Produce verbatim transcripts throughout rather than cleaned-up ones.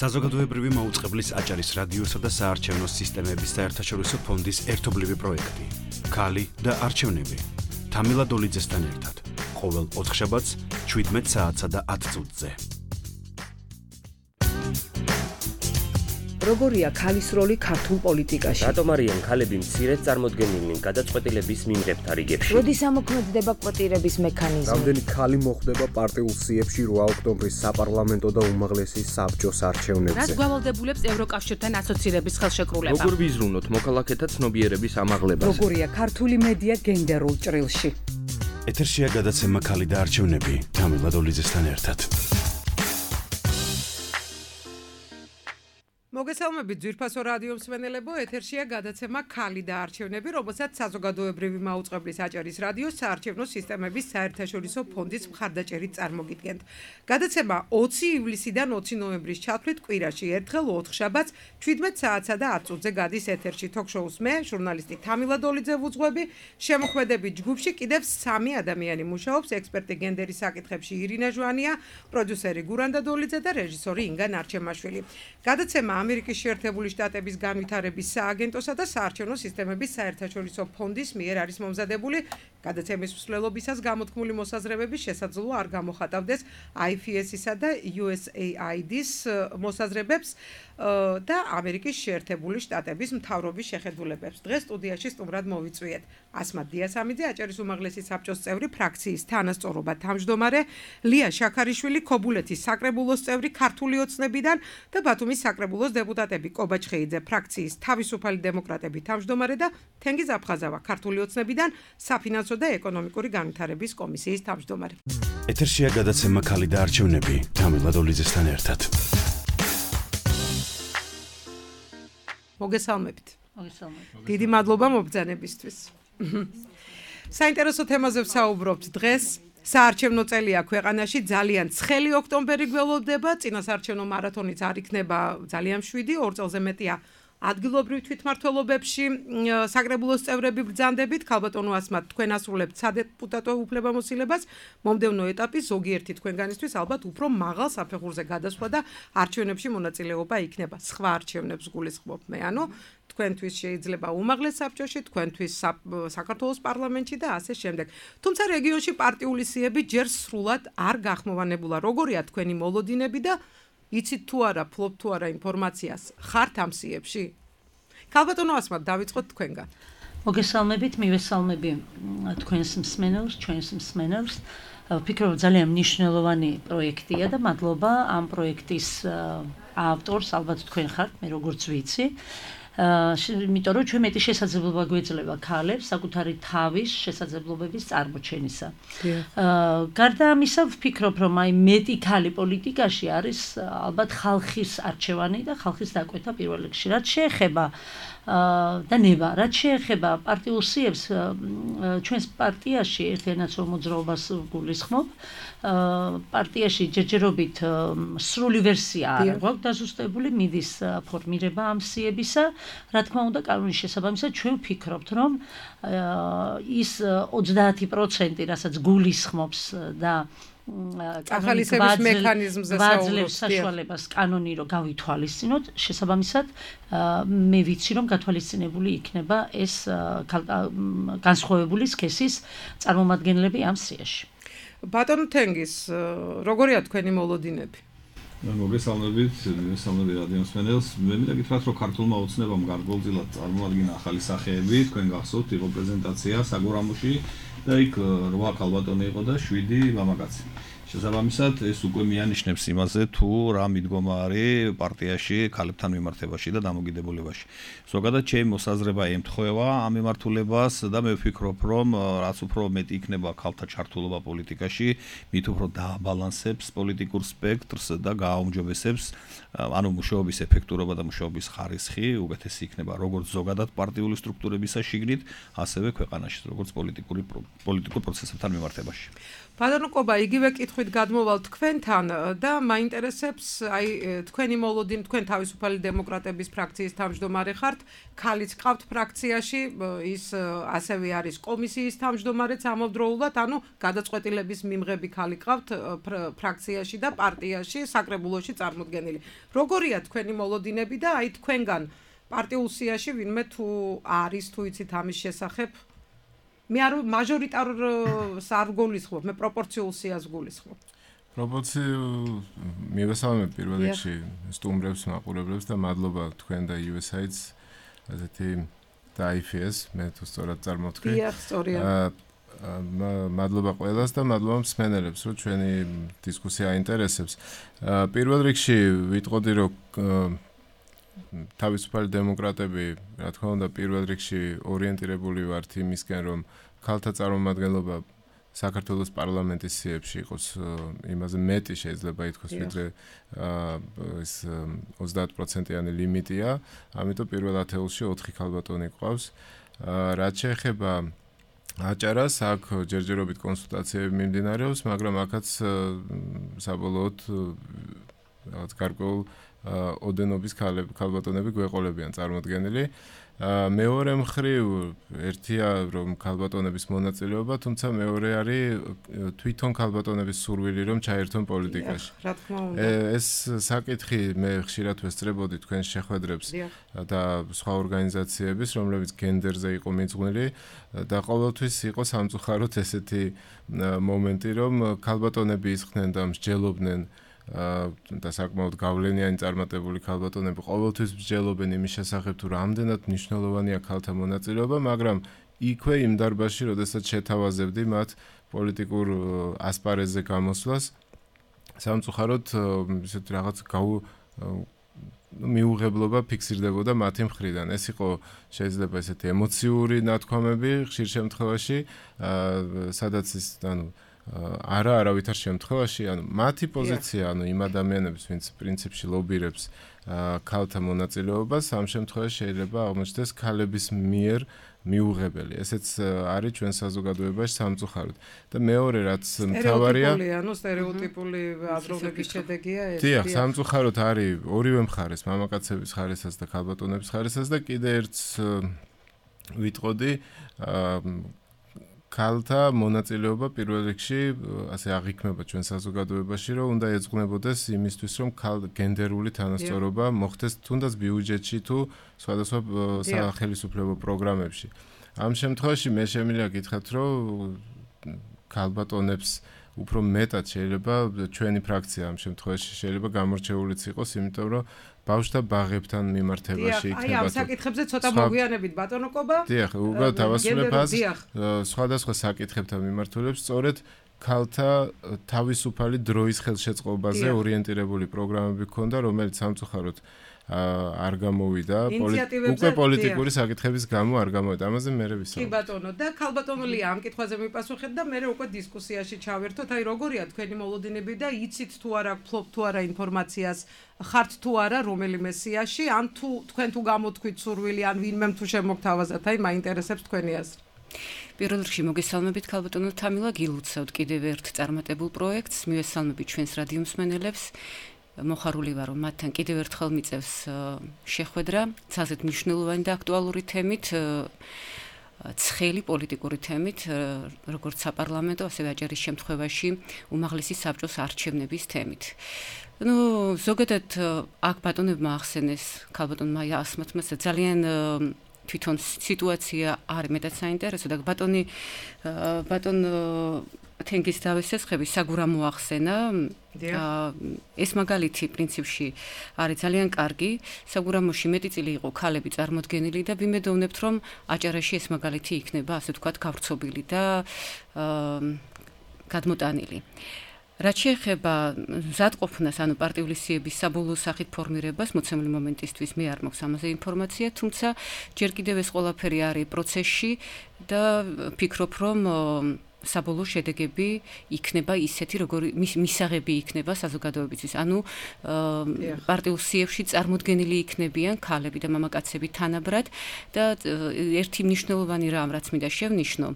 საზოგადოებრივი მაუწყებლის აჭარის რადიოსა და საარჩევნო სისტემების საერთაშორისო ფონდის ერთობლივი პროექტი. ქალი და არჩევნები. თამილა დოლიძესთან ერთად. ყოველ ოთხშაბათს შვიდმეტ საათსა და ათ წუთზე. როგორია ქალის როლი ქართულ პოლიტიკაში? რატომ არიან ქალები მცირედ წარმოდგენილნი გადაწყვეტილების მიმღებთა რიგებში? როდის ამოქმედდება კვოტირების მექანიზმი? რამდენი ქალი მოხვდება პარტიულ სიებში რვა ოქტომბრის საპარლამენტო და უმაღლესი საბჭოს არჩევნებზე? რაც გვავალდებულებს ევროკავშირთან ასოცირების ხელშეკრულება? როგორ ვიზრუნოთ მოქალაქეთა ცნობიერების ამაღლებას? როგორია ქართული მედია გენდერულ ჭრილში? ეთერშია გადაცემა ქალი და არჩევნები თამილა დოლიძესთან ერთად. მოგესალმებით ძვირფასო რადიო მსმენელებო, ეთერშია გადაცემა ქალი და არჩევნები, რომელსაც საზოგადოებრივი მაუწყებლის აჭარის რადიოს საარჩევნო სისტემების საერთაშორისო ფონდის მხარდაჭერით წარმოგიდგენთ. გადაცემა ოცი ივლისიდან ოცი ნოემბრის ჩათვლით კვირაში ერთხელ ოთხშაბათს შვიდმეტ საათსა და ათ წუთზე გადის ეთერში თოქ-შოუს მე, ჟურნალისტი თამილა დოლიძე ვუძღვები, შემოქმედებით ჯგუფში კიდევ სამი ადამიანი მუშაობს, ექსპერტი გენდერის საკითხებში ირინა ჟვანია, პროდიუსერი გურანდა დოლიძე და რეჟისორი ინგა ნარჩემაშვილი. გადაცემა ამერიკის შეერთებული შტატების განვითარების სააგენტოსა და საარჩევნო სისტემების საერთაშორისო ფონდის მიერ არის მომზადებული. გადაცემის მსვლელობისას გამოთქმული მოსაზრებების შესაძლოა არ გამოხატავდეს აი ეფ ეს-ისა და იუ ეს ეი აი დი-ის მოსაზრებებს და ამერიკის შეერთებული შტატების მთავრობის შეხედულებებს. დღეს სტუდიაში სტუმრად მოვიწვიეთ ასმად დიასამიძე, აჭარის უმაღლესი საბჭოს წევრი, ფრაქციის თანასწორობა თავმჯდომარე, ლია შაქარიშვილი, ქობულეთის საკრებულოს წევრი, ქართული ოცნებიდან და ბათუმის საკრებულოს დეპუტატები კობა ჩხეიძე, ფრაქციის თავისუფალი დემოკრატები თავმჯდომარე და თენგიზ აფხაზავა, ქართული ოცნებიდან საფინანსო და ეკონომიკური განვითარების კომისიის თავმჯდომარე. ეთერშია გადაცემა ქალი და არჩევნები თამილა დოლიძესთან ერთად. მოგესალმებით. მოგესალმებით. დიდი მადლობა მობრძანებისთვის. საინტერესო თემაზე ვსაუბრობთ დღეს. საარჩევნო წელია ქვეყანაში, ძალიან ცხელი ოქტომბერი გველოდება, წინასაარჩევნო მარათონიც არ იქნება ძალიან მშვიდი, ორ წელზე მეტია ადგილობრივ თვითმმართველობებში საკრებულოს წევრები ბრძანდებით, ქალბატონო ასმად თქვენ ასრულებთ სადეპუტატო უფლებამოსილებას, მომდევნო ეტაპი ზოგიერთი თქვენგანისთვის ალბათ უფრო მაღალ საფეხურზე გადასვლა და არჩევნებში მონაწილეობა იქნება. სხვა არჩევნებს გულისხმობ მე, ანუ თქვენთვის შეიძლება უმაღლეს საბჭოში, თქვენთვის საქართველოს პარლამენტში და ასე შემდეგ. თუმცა რეგიონში პარტიული სიები ჯერ სრულად არ გახმოვანებულა. როგორია თქვენი მოლოდინები და იცით თუ არა, ფლობ თუ არა ინფორმაციას ხართ ამ სიებში? ქალბატონო ასმად დავიწყოთ თქვენგან. მოგესალმებით, მივესალმები თქვენს მსმენელს, ჩვენს მსმენელს. ვფიქრობ ძალიან მნიშვნელოვანი პროექტია და მადლობა ამ პროექტის ავტორს, ალბათ თქვენ ხართ, მე როგორც ვიცი. იმიტომ რომ ჩვენ მეტი შესაძლებლობა გვეძლება ქალებს საკუთარი თავის შესაძლებლობების წარმოჩენისა. გარდა ამისა ვფიქრობ რომ აი მეტი ქალი პოლიტიკაში არის ალბათ ხალხის არჩევანი და ხალხის დაკვეთა პირველ რიგში. რაც შეეხება და ნება, რაც შეეხება პარტიულ სიებს, ჩვენს პარტიაში ერთიანაც მოძრაობას გულისხმობ. პარტიაში ჯერჯერობით სრული ვერსია არ გვაქვს დაზუსტებული, მიდის ფორმირება ამ სიებისა. რა თქმა უნდა, კანონის შესაბამისად ჩვენ ვფიქრობთ, რომ ის ოცდაათი პროცენტი, რასაც გულისხმობს და ახალისების მექანიზმზე საუბრობს საშუალებას კანონი რომ გავითვალისწინოთ, შესაბამისად მე ვიცი რომ გათვალისწინებული იქნება ეს განსხვავებული სქესის წარმომადგენლები ამ სიაში. ბატონო თენგიზ, როგორია თქვენი მოლოდინები? მოგესალმებით, მოგესალმებით რადიო მსმენელს. მე მინდა გითხრათ, რომ ქართულმა ოცნებამ გარკვეულწილად წარმოადგინა ახალი სახეები, თქვენ გახსოვთ, იყო პრეზენტაცია საგურამოში და იქ რვა ქალბატონი იყო და შვიდი მამაკაცი. შესაბამისად, ეს უკვე მიანიშნებს იმაზე, თუ რა მიდგომა არის პარტიაში ქალებთან მიმართებაში და დამოკიდებულებაში. ზოგადად ჩემი მოსაზრება ემთხვევა ამ მიმართულებას და მე ვფიქრობ, რომ რაც უფრო მეტი იქნება ქალთა ჩართულობა პოლიტიკაში, მით უფრო დააბალანსებს პოლიტიკურ სპექტრს და გააუმჯობესებს ანუ მუშაობის ეფექტურობა და მუშაობის ხარისხი უკეთესი იქნება როგორც ზოგადად პარტიული სტრუქტურებისა შიგნით, ასევე ქვეყანაში, როგორც პოლიტიკური პოლიტიკურ პროცესებთან მიმართებაში. ბატონო კობა, იგივე კითხვით გადმოვალ თქვენთან და მაინტერესებს, აი თქვენი მოლოდინი, თქვენ თავისუფალი დემოკრატების ფრაქციის თავმჯდომარე ხართ, ქალიც ყავთ ფრაქციაში, ის ასევე არის კომისიის თავმჯდომარეც ამავდროულად, ანუ გადაწყვეტილების მიმღები ქალი ყავთ ფრაქციაში და პარტიაში, საკრებულოში წარმოდგენილი. როგორია თქვენი მოლოდინები და აი თქვენგან პარტიულ სიაში ვინმე თუ არის თუ იცით ამის შესახებ? მე არ მაჟორიტარს არ გულისხმობ, მე პროპორციულ სიას გულისხმობ. პროპორციულ მივესალმებ პირველ რიგში სტუმრებს, მაყურებლებს და მადლობა თქვენ და იუ ეს აიდს ასეთი და აი ეფ ეს, მე თუ სწორად წარმოვთქვი. დიახ, სწორია. მადლობა ყველას და მადლობა მსმენელებს, რომ ჩვენი დისკუსია აინტერესებს. პირველ რიგში ვიტყოდი, რომ თავისუფალი დემოკრატები, რა თქმა უნდა, პირველ რიგში ორიენტირებული ვართ იმისკენ, რომ ქალთა წარმომადგენლობა საქართველოს პარლამენტის სიებში იყოს იმაზე მეტი შეიძლება ითქვას, ვიდრე ეს ოცდაათ პროცენტიანი ლიმიტია, ამიტომ პირველ ათეულში ოთხი ქალბატონი ყავს. რაც შეეხება აჭარას, აქ ჯერჯერობით კონსულტაციები მიმდინარეობს, მაგრამ აქაც საბოლოოდ რაღაც გარკვეულ ოდენობის ქალბატონები გვეყოლებიან წარმოდგენილი. მეორე მხრივ ერთია რომ ქალბატონების მონაწილეობა, თუმცა მეორე არის თვითონ ქალბატონების სურვილი რომ ჩაერთონ პოლიტიკაში. რა თქმა უნდა. ეს საკითხი მე ხშირად ვესწრებოდი თქვენ შეხვედრებს და სხვა ორგანიზაციების, რომლებიც გენდერზე იყო მიძღვნილი და ყოველთვის იყო სამწუხაროდ ესეთი მომენტი, რომ ქალბატონები ისხდნენ და მსჯელობდნენ და საკმაოდ გავლენიანი წარმატებული ქალბატონები ყოველთვის მსჯელობენ იმის შესახებ, თუ რამდენად მნიშვნელოვანია ქალთა მონაწილეობა, მაგრამ იქვე იმ დარბაზში, როდესაც შეთავაზებდი მათ პოლიტიკურ ასპარეზზე გამოსვლას, სამწუხაროდ ისეთ რაღაც მიუღებლობა ფიქსირდებოდა მათი მხრიდან. ეს იყო შეიძლება ესეთი ემოციური ნათქვამები ხშირ შემთხვევაში, სადაც ის, ანუ არა არავითარ შემთხვევაში, ანუ მათი პოზიცია, ანუ იმ ადამიანების, ვინც პრინციპში ლობირებს ქალთა მონაწილეობას, ამ შემთხვევაში შეიძლება აღმოჩნდეს ქალების მიერ მიუღებელი. ესეც არის ჩვენ საზოგადოებაში სამწუხაროდ. და მეორე რაც მთავარია, ანუ სტერეოტიპული აზროვნების შედეგია ეს. დიახ, სამწუხაროდ არის ორივე მხარეს, მამაკაცების ხარესაც და ქალბატონების ხარესაც და კიდე ერთს ვიტყოდი, ქალთა მონაწილეობა პირველ რიგში ასე აღიქმება ჩვენ საზოგადოებაში, რომ უნდა ეძღვნებოდეს იმისთვის, რომ გენდერული თანასწორობა მოხდეს თუნდაც ბიუჯეტში თუ სხვადასხვა სახელმწიფო პროგრამებში. ამ შემთხვევაში მე შემიძლია გითხრათ, რომ ქალბატონებს უფრო მეტად შეიძლება ჩვენი ფრაქცია ამ შემთხვევაში შეიძლება გამორჩეულიც იყოს, იმიტომ რომ ბავშვთა ბაღებთან მიმართებაში იქნება. აი ამ საკითხებზე ცოტა მოგვიანებით ბატონო კობა. დიახ, უბრალოდ დავასრულებ ას სხვადასხვა საკითხებთან მიმართულებს, სწორედ ქალთა თავისუფალი დროის ხელშეწყობაზე ორიენტირებული პროგრამები ჰქონდა, რომელიც სამწუხაროდ არ გამოვიდა, უკვე პოლიტიკური საკითხების გამო არ გამოვიდა. ამაზე მე ვისაუბრებ. კი ბატონო, და ქალბატონულია ამ კითხვაზე მიპასუხეთ და მე უკვე დისკუსიაში ჩავერთოთ. აი როგორია თქვენი მოლოდინები და იცით თუ არა, ფლობ თუ არა ინფორმაციას, ხართ თუ არა რომელიმე სიაში, ან თუ თქვენ თუ გამოთქვით სურვილი, ან ვინმემ თუ შემოგთავაზათ, აი მაინტერესებს თქვენი აზრი. პირველ რიგში მოგესალმებით ქალბატონო თამილა, გილოცავთ კიდევ ერთ წარმატებულ პროექტს, მივესალმებით ჩვენს რადიო მსმენელებს. მოხარული ვარ, რომ მათთან კიდევ ერთხელ მიწევს შეხვედრა ცალსეთ მნიშვნელოვანი და აქტუალური თემით, ცხელი პოლიტიკური თემით, როგორც საპარლამენტო, ასევე აჭარის შემთხვევაში უმაღლესი საბჭოს არჩევნების თემით. ნუ ზოგადად აქ ბატონებმა ახსენეს, ქალბატონმა ასმათმა ძალიან თვითონ სიტუაცია არის მეტად საინტერესო და ბატონი ბატონ თენგის დავესესხები საგურამო ახსენა. ეს მაგალითი პრინციპში არის ძალიან კარგი. საგურამოში მეტი წილი იყო ქალები წარმოდგენილი და ვიმედოვნებთ, რომ აჭარაში ეს მაგალითი იქნება, ასე ვთქვათ, გავრცობილი და გადმოტანილი. რაც შეეხება მზადყოფნას, ანუ პარტიული სიების საბოლოო სახით ფორმირებას, მოცემული მომენტისთვის მე არ მაქვს ამაზე ინფორმაცია, თუმცა ჯერ კიდევ ეს ყველაფერი არის პროცესში და ფიქრობ, რომ საბოლოო შედეგები იქნება ისეთი, როგორი მისაღები იქნება საზოგადოებისთვის. ანუ პარტიულ სიებში წარმოდგენილი იქნებიან ქალები და მამაკაცები თანაბრად და ერთი მნიშვნელოვანი რამ, რაც მინდა შევნიშნო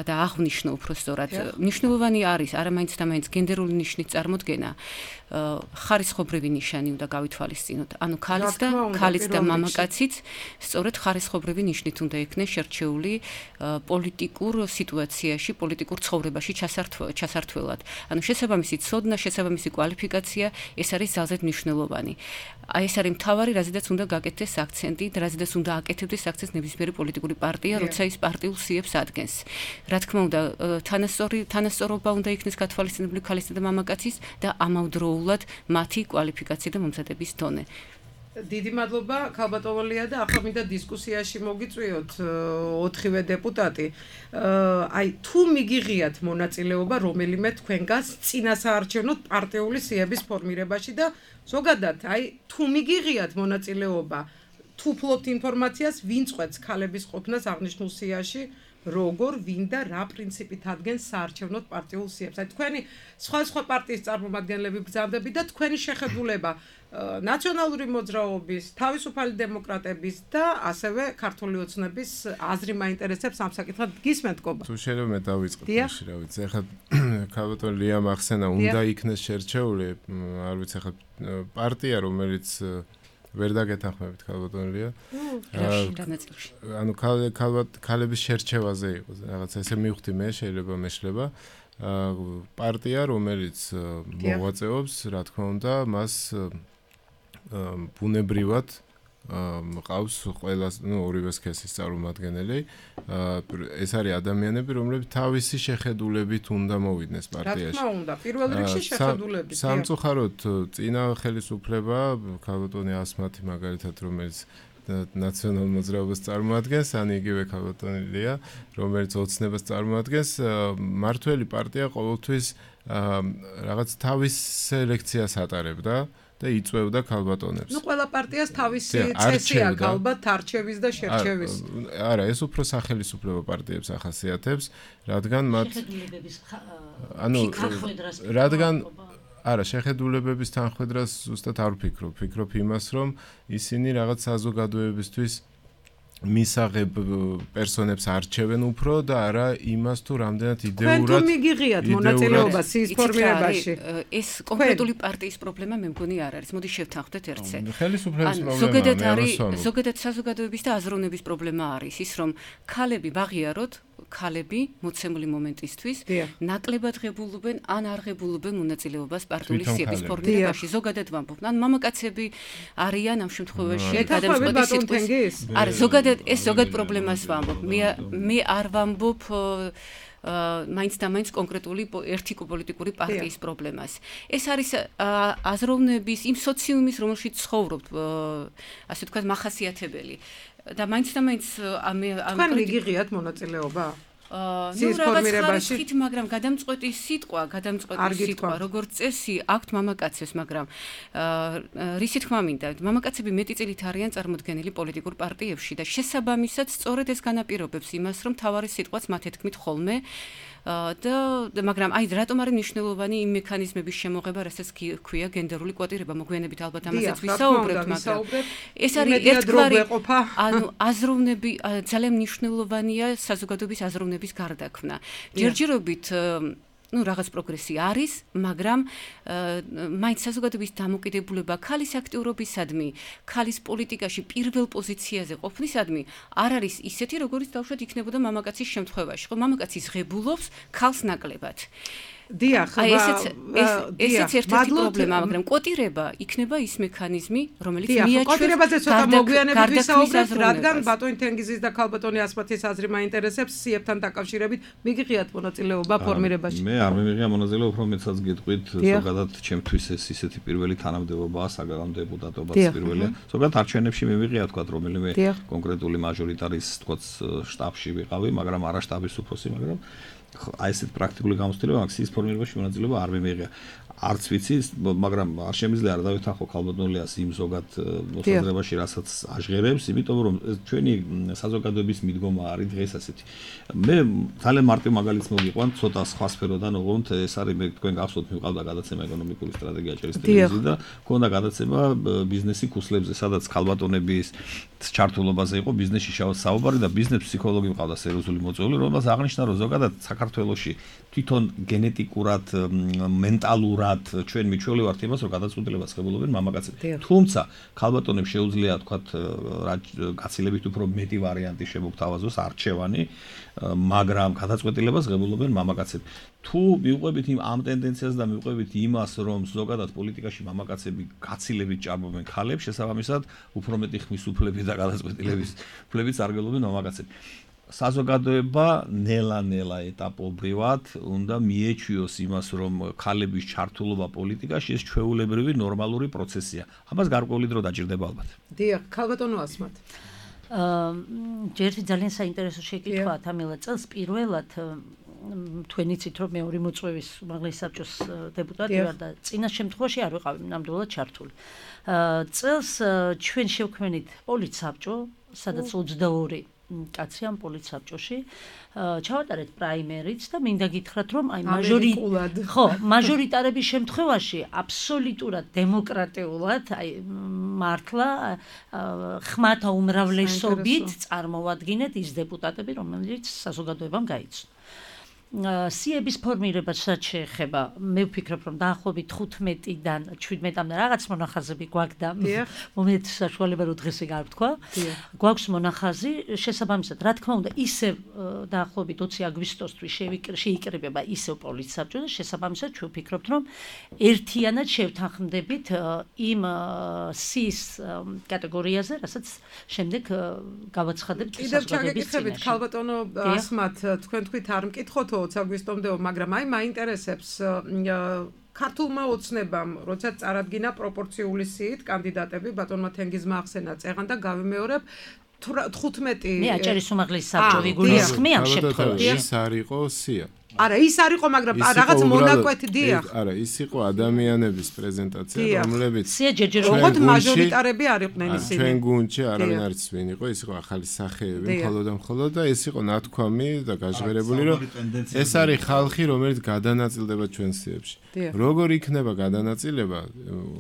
და აღვნიშნო უпростоრად, მნიშვნელოვანი არის არამაინც და მაინც გენდერული ნიშნის წარმოდგენა. ხარისხობრივი ნიშანი უნდა გავითვალისწინოთ. ანუ ქალის და ქალის და მამაკაციც სწორედ ხარისხობრივი ნიშნით უნდა იქნეს შერჩეული პოლიტიკურ სიტუაციაში, პოლიტიკურ ცხოვრებაში ჩასართველად. ანუ შესაბამისი ცოდნა, შესაბამისი კვალიფიკაცია ეს არის ძალზედ მნიშვნელოვანი. აი ეს არის მთავარი, რაზედაც უნდა გაკეთდეს აქცენტი და რაზედაც უნდა აკეთებდეს აქცენტს ნებისმიერი პოლიტიკური პარტია, როცა ის პარტიულ სიებს ადგენს. რა თქმა უნდა, თანასწორი თანასწორობა უნდა იქნეს გათვალისწინებული ქალისა და მამაკაცის და ამავდროულად მათი კვალიფიკაცია და მომზადების დონე. დიდი მადლობა ქალბატონია და ახლა მინდა დისკუსიაში მოგიწვიოთ ოთხივე დეპუტატი. აი თუ მიგიღიათ მონაწილეობა რომელიმე თქვენგანს წინასაარჩევნო პარტიული სიების ფორმირებაში და ზოგადად აი თუ მიგიღიათ მონაწილეობა თუ ფლობთ ინფორმაციას ვინ წვეთს ქალების ყოფნას აღნიშნულ სიაში როგორ ვინ და რა პრინციპით ადგენს საარჩევნო პარტიულ სიებს. აი თქვენი სხვა სხვა პარტიის წარმომადგენლები ბრძანდები და თქვენი შეხედულება ნაციონალური მოძრაობის, თავისუფალი დემოკრატების და ასევე ქართული ოცნების აზრი მაინტერესებს ამ საკითხად გისმენთ კობა. თუ შეიძლება მე დავიწყო თამაში, რა ვიცი, ახლა ქალბატონ ლიამ ახსენა უნდა იქნეს შერჩეული, არ ვიცი, ახლა პარტია რომელიც ვერ დაგეთანხმებით ქალბატონია. ანუ ქალების შერჩევაზე იყო რაღაც ესე მივხვდი მე, შეიძლება მეშლება. პარტია რომელიც მოღვაწეობს, რა თქმა უნდა, მას ბუნებრივად მყავს ყველა, ну, ორივე სქესის წარმომადგენელი. ეს არის ადამიანები, რომლებიც თავისი შეხედულებით უნდა მოვიდნენ პარტიაში. რა თქმა უნდა, პირველ რიგში შეხედულებით. სამწუხაროდ წინა ხელისუფლება, ქალბატონი ასმათი მაგალითად, რომელიც ნაციონალურ მოძრაობას წარმოადგენს, ან იგივე ქალბატონია, რომელიც ოცნებას წარმოადგენს, მართველი პარტია ყოველთვის რაღაც თავის სელექციას ატარებდა. და იწვევდა ქალბატონებს. ნუ ყველა პარტიას თავისი წესი აქვს ალბათ არჩევის და შერჩევის. არა, ეს უფრო სახელმწიფო პარტიებს ახასიათებს, რადგან მათ ანუ რადგან არა, შეხედულებების თანხმედრას ზუსტად არ ვფიქრობ. ვფიქრობ იმას, რომ ისინი რაღაც საზოგადოებისთვის მისაღებ პერსონებს არჩევენ უფრო და არა იმას თუ რამდენად იდეურად თქვენ თუ მიგიღიათ მონაწილეობა სიის ფორმირებაში. ეს კონკრეტული პარტიის პრობლემა მე მგონი არ არის. მოდი შევთანხმდეთ ერთზე. ხელისუფლების პრობლემაა. ზოგადად არის, ზოგადად საზოგადოების და აზროვნების პრობლემა არის ის, რომ ქალები ვაღიაროთ, ქალები მოცემული მომენტისთვის ნაკლებად ღებულობენ ან არ ღებულობენ მონაწილეობას პარტიული სიების ფორმირებაში. ზოგადად ვამბობ, ან მამაკაცები არიან ამ შემთხვევაში გადამწყვეტი სიტყვის. არა, ზოგადად ეს ზოგად პრობლემას ვამბობ. მე მე არ ვამბობ მაინც და მაინც კონკრეტული ერთი პოლიტიკური პარტიის პრობლემას. ეს არის აზროვნების იმ სოციუმის, რომელშიც ცხოვრობთ, ასე ვთქვათ, მახასიათებელი. და მაინც და მაინც ამ თქვენ მიგიღიათ მონაწილეობა? ნუ რაღაც ხარისხით, მაგრამ გადამწყვეტი სიტყვა, გადამწყვეტი სიტყვა, როგორც წესი, აქვთ მამაკაცებს, მაგრამ რისი თქმა მინდა, მამაკაცები მეტი წილით არიან წარმოდგენილი პოლიტიკურ პარტიებში და შესაბამისად სწორედ ეს განაპირობებს იმას, რომ თავარი სიტყვაც მათ ეთქმით ხოლმე და მაგრამ აი რატომ არის მნიშვნელოვანი იმ მექანიზმების შემოღება, რასაც ქვია გენდერული კვოტირება, მოგვიანებით ალბათ ამასაც ვისაუბრებთ, მაგრამ ეს არის ერთგვარი ანუ აზროვნები ძალიან მნიშვნელოვანია საზოგადოების აზროვნების გარდაქმნა. ჯერჯერობით ну რაღაც პროგრესი არის, მაგრამ მაინც საზოგადოების დამოკიდებულება ქალის აქტიურობისადმი, ქალის პოლიტიკაში პირველ პოზიციაზე ყოფნისადმი არ არის ისეთი, როგორც დავუშვათ იქნებოდა მამაკაცის შემთხვევაში. ხო, მამაკაცი ღებულობს ქალს ნაკლებად. დიახ, ესეც ერთ-ერთი პრობლემაა, მაგრამ კვოტირება იქნება ის მექანიზმი, რომელიც მიაჩვენს კვოტირებაზე ცოტა მოგვიანებით ვისაუბრებთ, რადგან ბატონი თენგიზის და ქალბატონი ასმათის აზრი მაინტერესებს სიებთან დაკავშირებით. მიგიღიათ მონაწილეობა ფორმირებაში? მე არ მიმიღია მონაწილეობა, უფრო მეცაც გეტყვით, ზოგადად ჩემთვის ეს ისეთი პირველი თანამდებობაა, საგარეო დეპუტატობაც პირველია. ზოგადად არჩევნებში მიმიღია თქვა რომელიმე კონკრეტული მაჟორიტარის თქვა შტაბში ვიყავი, მაგრამ არა შტაბის უფროსი, მაგრამ აი ესეთ პრაქტიკული გამოცდილება მაქსის ფორმირებაში მონაწილეობა არ მიმიღია. არც ვიცი, მაგრამ არ შემიძლია არ დავითანხო ქალბატონლიას იმ ზოგად მოსაზრებაში, რასაც აჟღერებს, იმიტომ რომ ჩვენი საზოგადოების მიდგომა არის დღეს ასეთი. მე ძალიან მარტივ მაგალითს მოგიყვან, ცოტა სხვა სფეროდან, ოღონდ ეს არის მე თქვენ გახსოვთ, მივყავდა გადაცემა ეკონომიკური სტრატეგია ჭერის ტელევიზიაზე და ქონდა გადაცემა ბიზნესი ქუსლებზე, სადაც ქალბატონების ჩართულობაზე იყო ბიზნესში საუბარი და ბიზნეს ფსიქოლოგი მყავდა სერიოზული მოწვეული, რომელსაც აღნიშნა, რომ ზოგადად საქართველოში თვითონ გენეტიკურად, მენტალურად ჩვენ მიჩვეული ვართ იმას, რომ გადაწყვეტილებას ღებულობენ მამაკაცები. თუმცა ქალბატონებს შეუძლია თქვათ გაცილებით უფრო მეტი ვარიანტი შემოგთავაზოს არჩევანი, მაგრამ გადაწყვეტილებას ღებულობენ მამაკაცები. თუ მიუყვებით იმ ამ ტენდენციას და მიუყვებით იმას, რომ ზოგადად პოლიტიკაში მამაკაცები გაცილებით ჭარბობენ ქალებს, შესაბამისად, უფრო მეტი ხმის უფლები და გადაწყვეტილების უფლებიც არგელობენ მამაკაცები. საზოგადოება ნელა-ნელა ეტაპობრივად უნდა მიეჩვიოს იმას, რომ ქალების ჩართულობა პოლიტიკაში ეს ჩვეულებრივი ნორმალური პროცესია. ამას გარკვეული დრო დაჭირდება ალბათ. დიახ, ქალბატონო ასმათ. აა, ერთი ძალიან საინტერესო შეკითხვაა თამილა წელს პირველად თქვენ იცით რომ მეორე მოწვევის უმაღლესი საბჭოს დეპუტატი ვარ და წინა შემთხვევაში არ ვიყავი ნამდვილად ჩართული. აა, წელს ჩვენ შევქმნით პოლიცსაბჭო, სადაც ოცდაორი კაცი ამ პოლიცსაბჭოში ჩავატარეთ პრაიმერიც და მინდა გითხრათ რომ აი მაჟორი ხო მაჟორიტარების შემთხვევაში აბსოლუტურად დემოკრატიულად აი მართლა ხმათა უმრავლესობით წარმოვადგინეთ ის დეპუტატები რომელიც საზოგადოებამ გაიცნო. სიების ფორმირებასაც შეეხება, მე ვფიქრობ, რომ დაახლოებით თხუთმეტიდან შვიდმეტამდე რაღაც მონახაზები გვაქვს და მომენტ საშუალება რომ დღეს ეგ არ ვთქვა. გვაქვს მონახაზი, შესაბამისად, რა თქმა უნდა, ისევ დაახლოებით ოცი აგვისტოსთვის შეიკრიბება ისევ პოლიცსაბჭო და შესაბამისად ჩვენ ვფიქრობთ, რომ ერთიანად შევთანხმდებით იმ სის კატეგორიაზე, რასაც შემდეგ გავაცხადებთ საზოგადოების წინაშე. კიდევ ქალბატონო ასმათ, თქვენ თქვით არ მკითხოთ ოცი აგვისტომდე, მაგრამ აი მაინტერესებს ქართულმა ოცნებამ, როცა წარადგინა პროპორციული სიით კანდიდატები, ბატონმა თენგიზმა ახსენა წეღან და გავიმეორებ თხუთმეტი მე აჭარის უმაღლესი საბჭო ვიგულისხმი ამ შემთხვევაში. ის არ იყო სია. არა, ის არ იყო, მაგრამ რაღაც მონაკვეთი დიახ. არა, ის იყო ადამიანების პრეზენტაცია, რომლებიც სია ჯერჯერობით მაჟორიტარები არ იყვნენ ისინი. ჩვენ გუნდში არავინ არ იცის ვინ იყო, ის იყო ახალი სახეები, მხოლოდ და მხოლოდ და ეს იყო ნათქვამი და გაჟღერებული, რომ ეს არის ხალხი, რომელიც გადანაწილდება ჩვენ სიებში. როგორ იქნება გადანაწილება?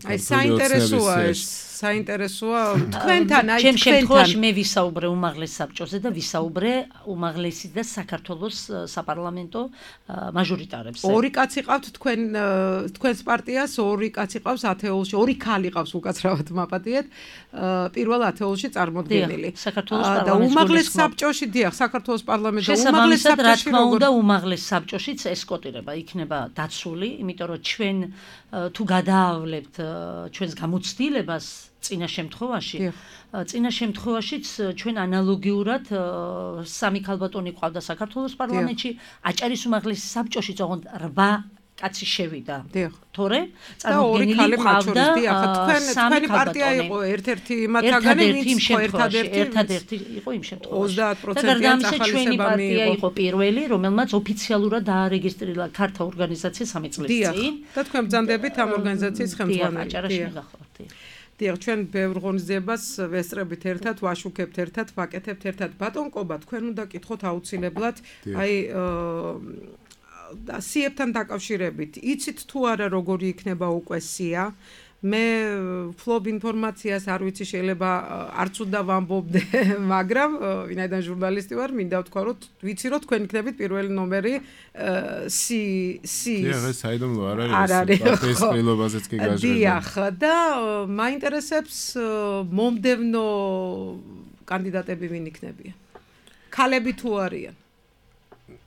აი საინტერესოა ეს, საინტერესოა თქვენთან, აი ჩემ შემთხვევაში მე ვისაუბრე უმაღლეს საბჭოზე და ვისაუბრე უმაღლესი და საქართველოს საპარლამენტო მაჟორიტარებს. ორი კაცი ყავთ თქვენ თქვენს პარტიას, ორი კაცი ყავს ათეულში, ორი ქალი ყავს უკაცრავად მაპატიეთ, პირველ ათეულში წარმოდგენილი. და უმაღლეს საბჭოში, დიახ, საქართველოს პარლამენტო უმაღლეს საბჭოში, რა თქმა უნდა, უმაღლეს საბჭოშიც ეს კოტირება იქნება დაცული, იმიტომ რომ ჩვენ თუ გადაავლებთ ჩვენს გამოცდილებას წინა შემთხვევაში, წინა შემთხვევაშიც ჩვენ ანალოგიურად სამი ქალბატონი ყავდა საქართველოს პარლამენტში, აჭარის უმაღლესი საბჭოში ოღონდ რვა კაცი შევიდა. თორე წარმოდგენილი ყავდა თქვენი პარტია იყო ერთ-ერთი მათგანი, ვინც ერთადერთი ერთადერთი იყო იმ შემთხვევაში. ოცდაათ პროცენტიან ჩვენი პარტია იყო პირველი, რომელმაც ოფიციალურად დაარეგისტრირა ქართა ორგანიზაცია სამი წლის წინ. და თქვენ ბრძანდებით ამ ორგანიზაციის ხელმძღვანელი. აჭარაში მივახავთ. დიახ, ჩვენ ბევრ ღონისძიებას ვესწრებით ერთად, ვაშუქებთ ერთად, ვაკეთებთ ერთად. ბატონ კობა, თქვენ უნდა გკითხოთ აუცილებლად, აი და სიებთან დაკავშირებით, იცით თუ არა როგორი იქნება უკვე სია? მე ფლობ ინფორმაციას არ ვიცი, შეიძლება არც უნდა ვამბობდე, მაგრამ ვინაიდან ჟურნალისტი ვარ, მინდა ვთქვა, რომ ვიცი, რომ თქვენ იქნებით პირველი ნომერი სი სი. დიახ, ეს საიდუმლო არ არის, პარტიის ყრილობაზეც კი გაჟღერდა. დიახ, და მაინტერესებს მომდევნო კანდიდატები ვინ იქნებიან? ქალები თუ არიან?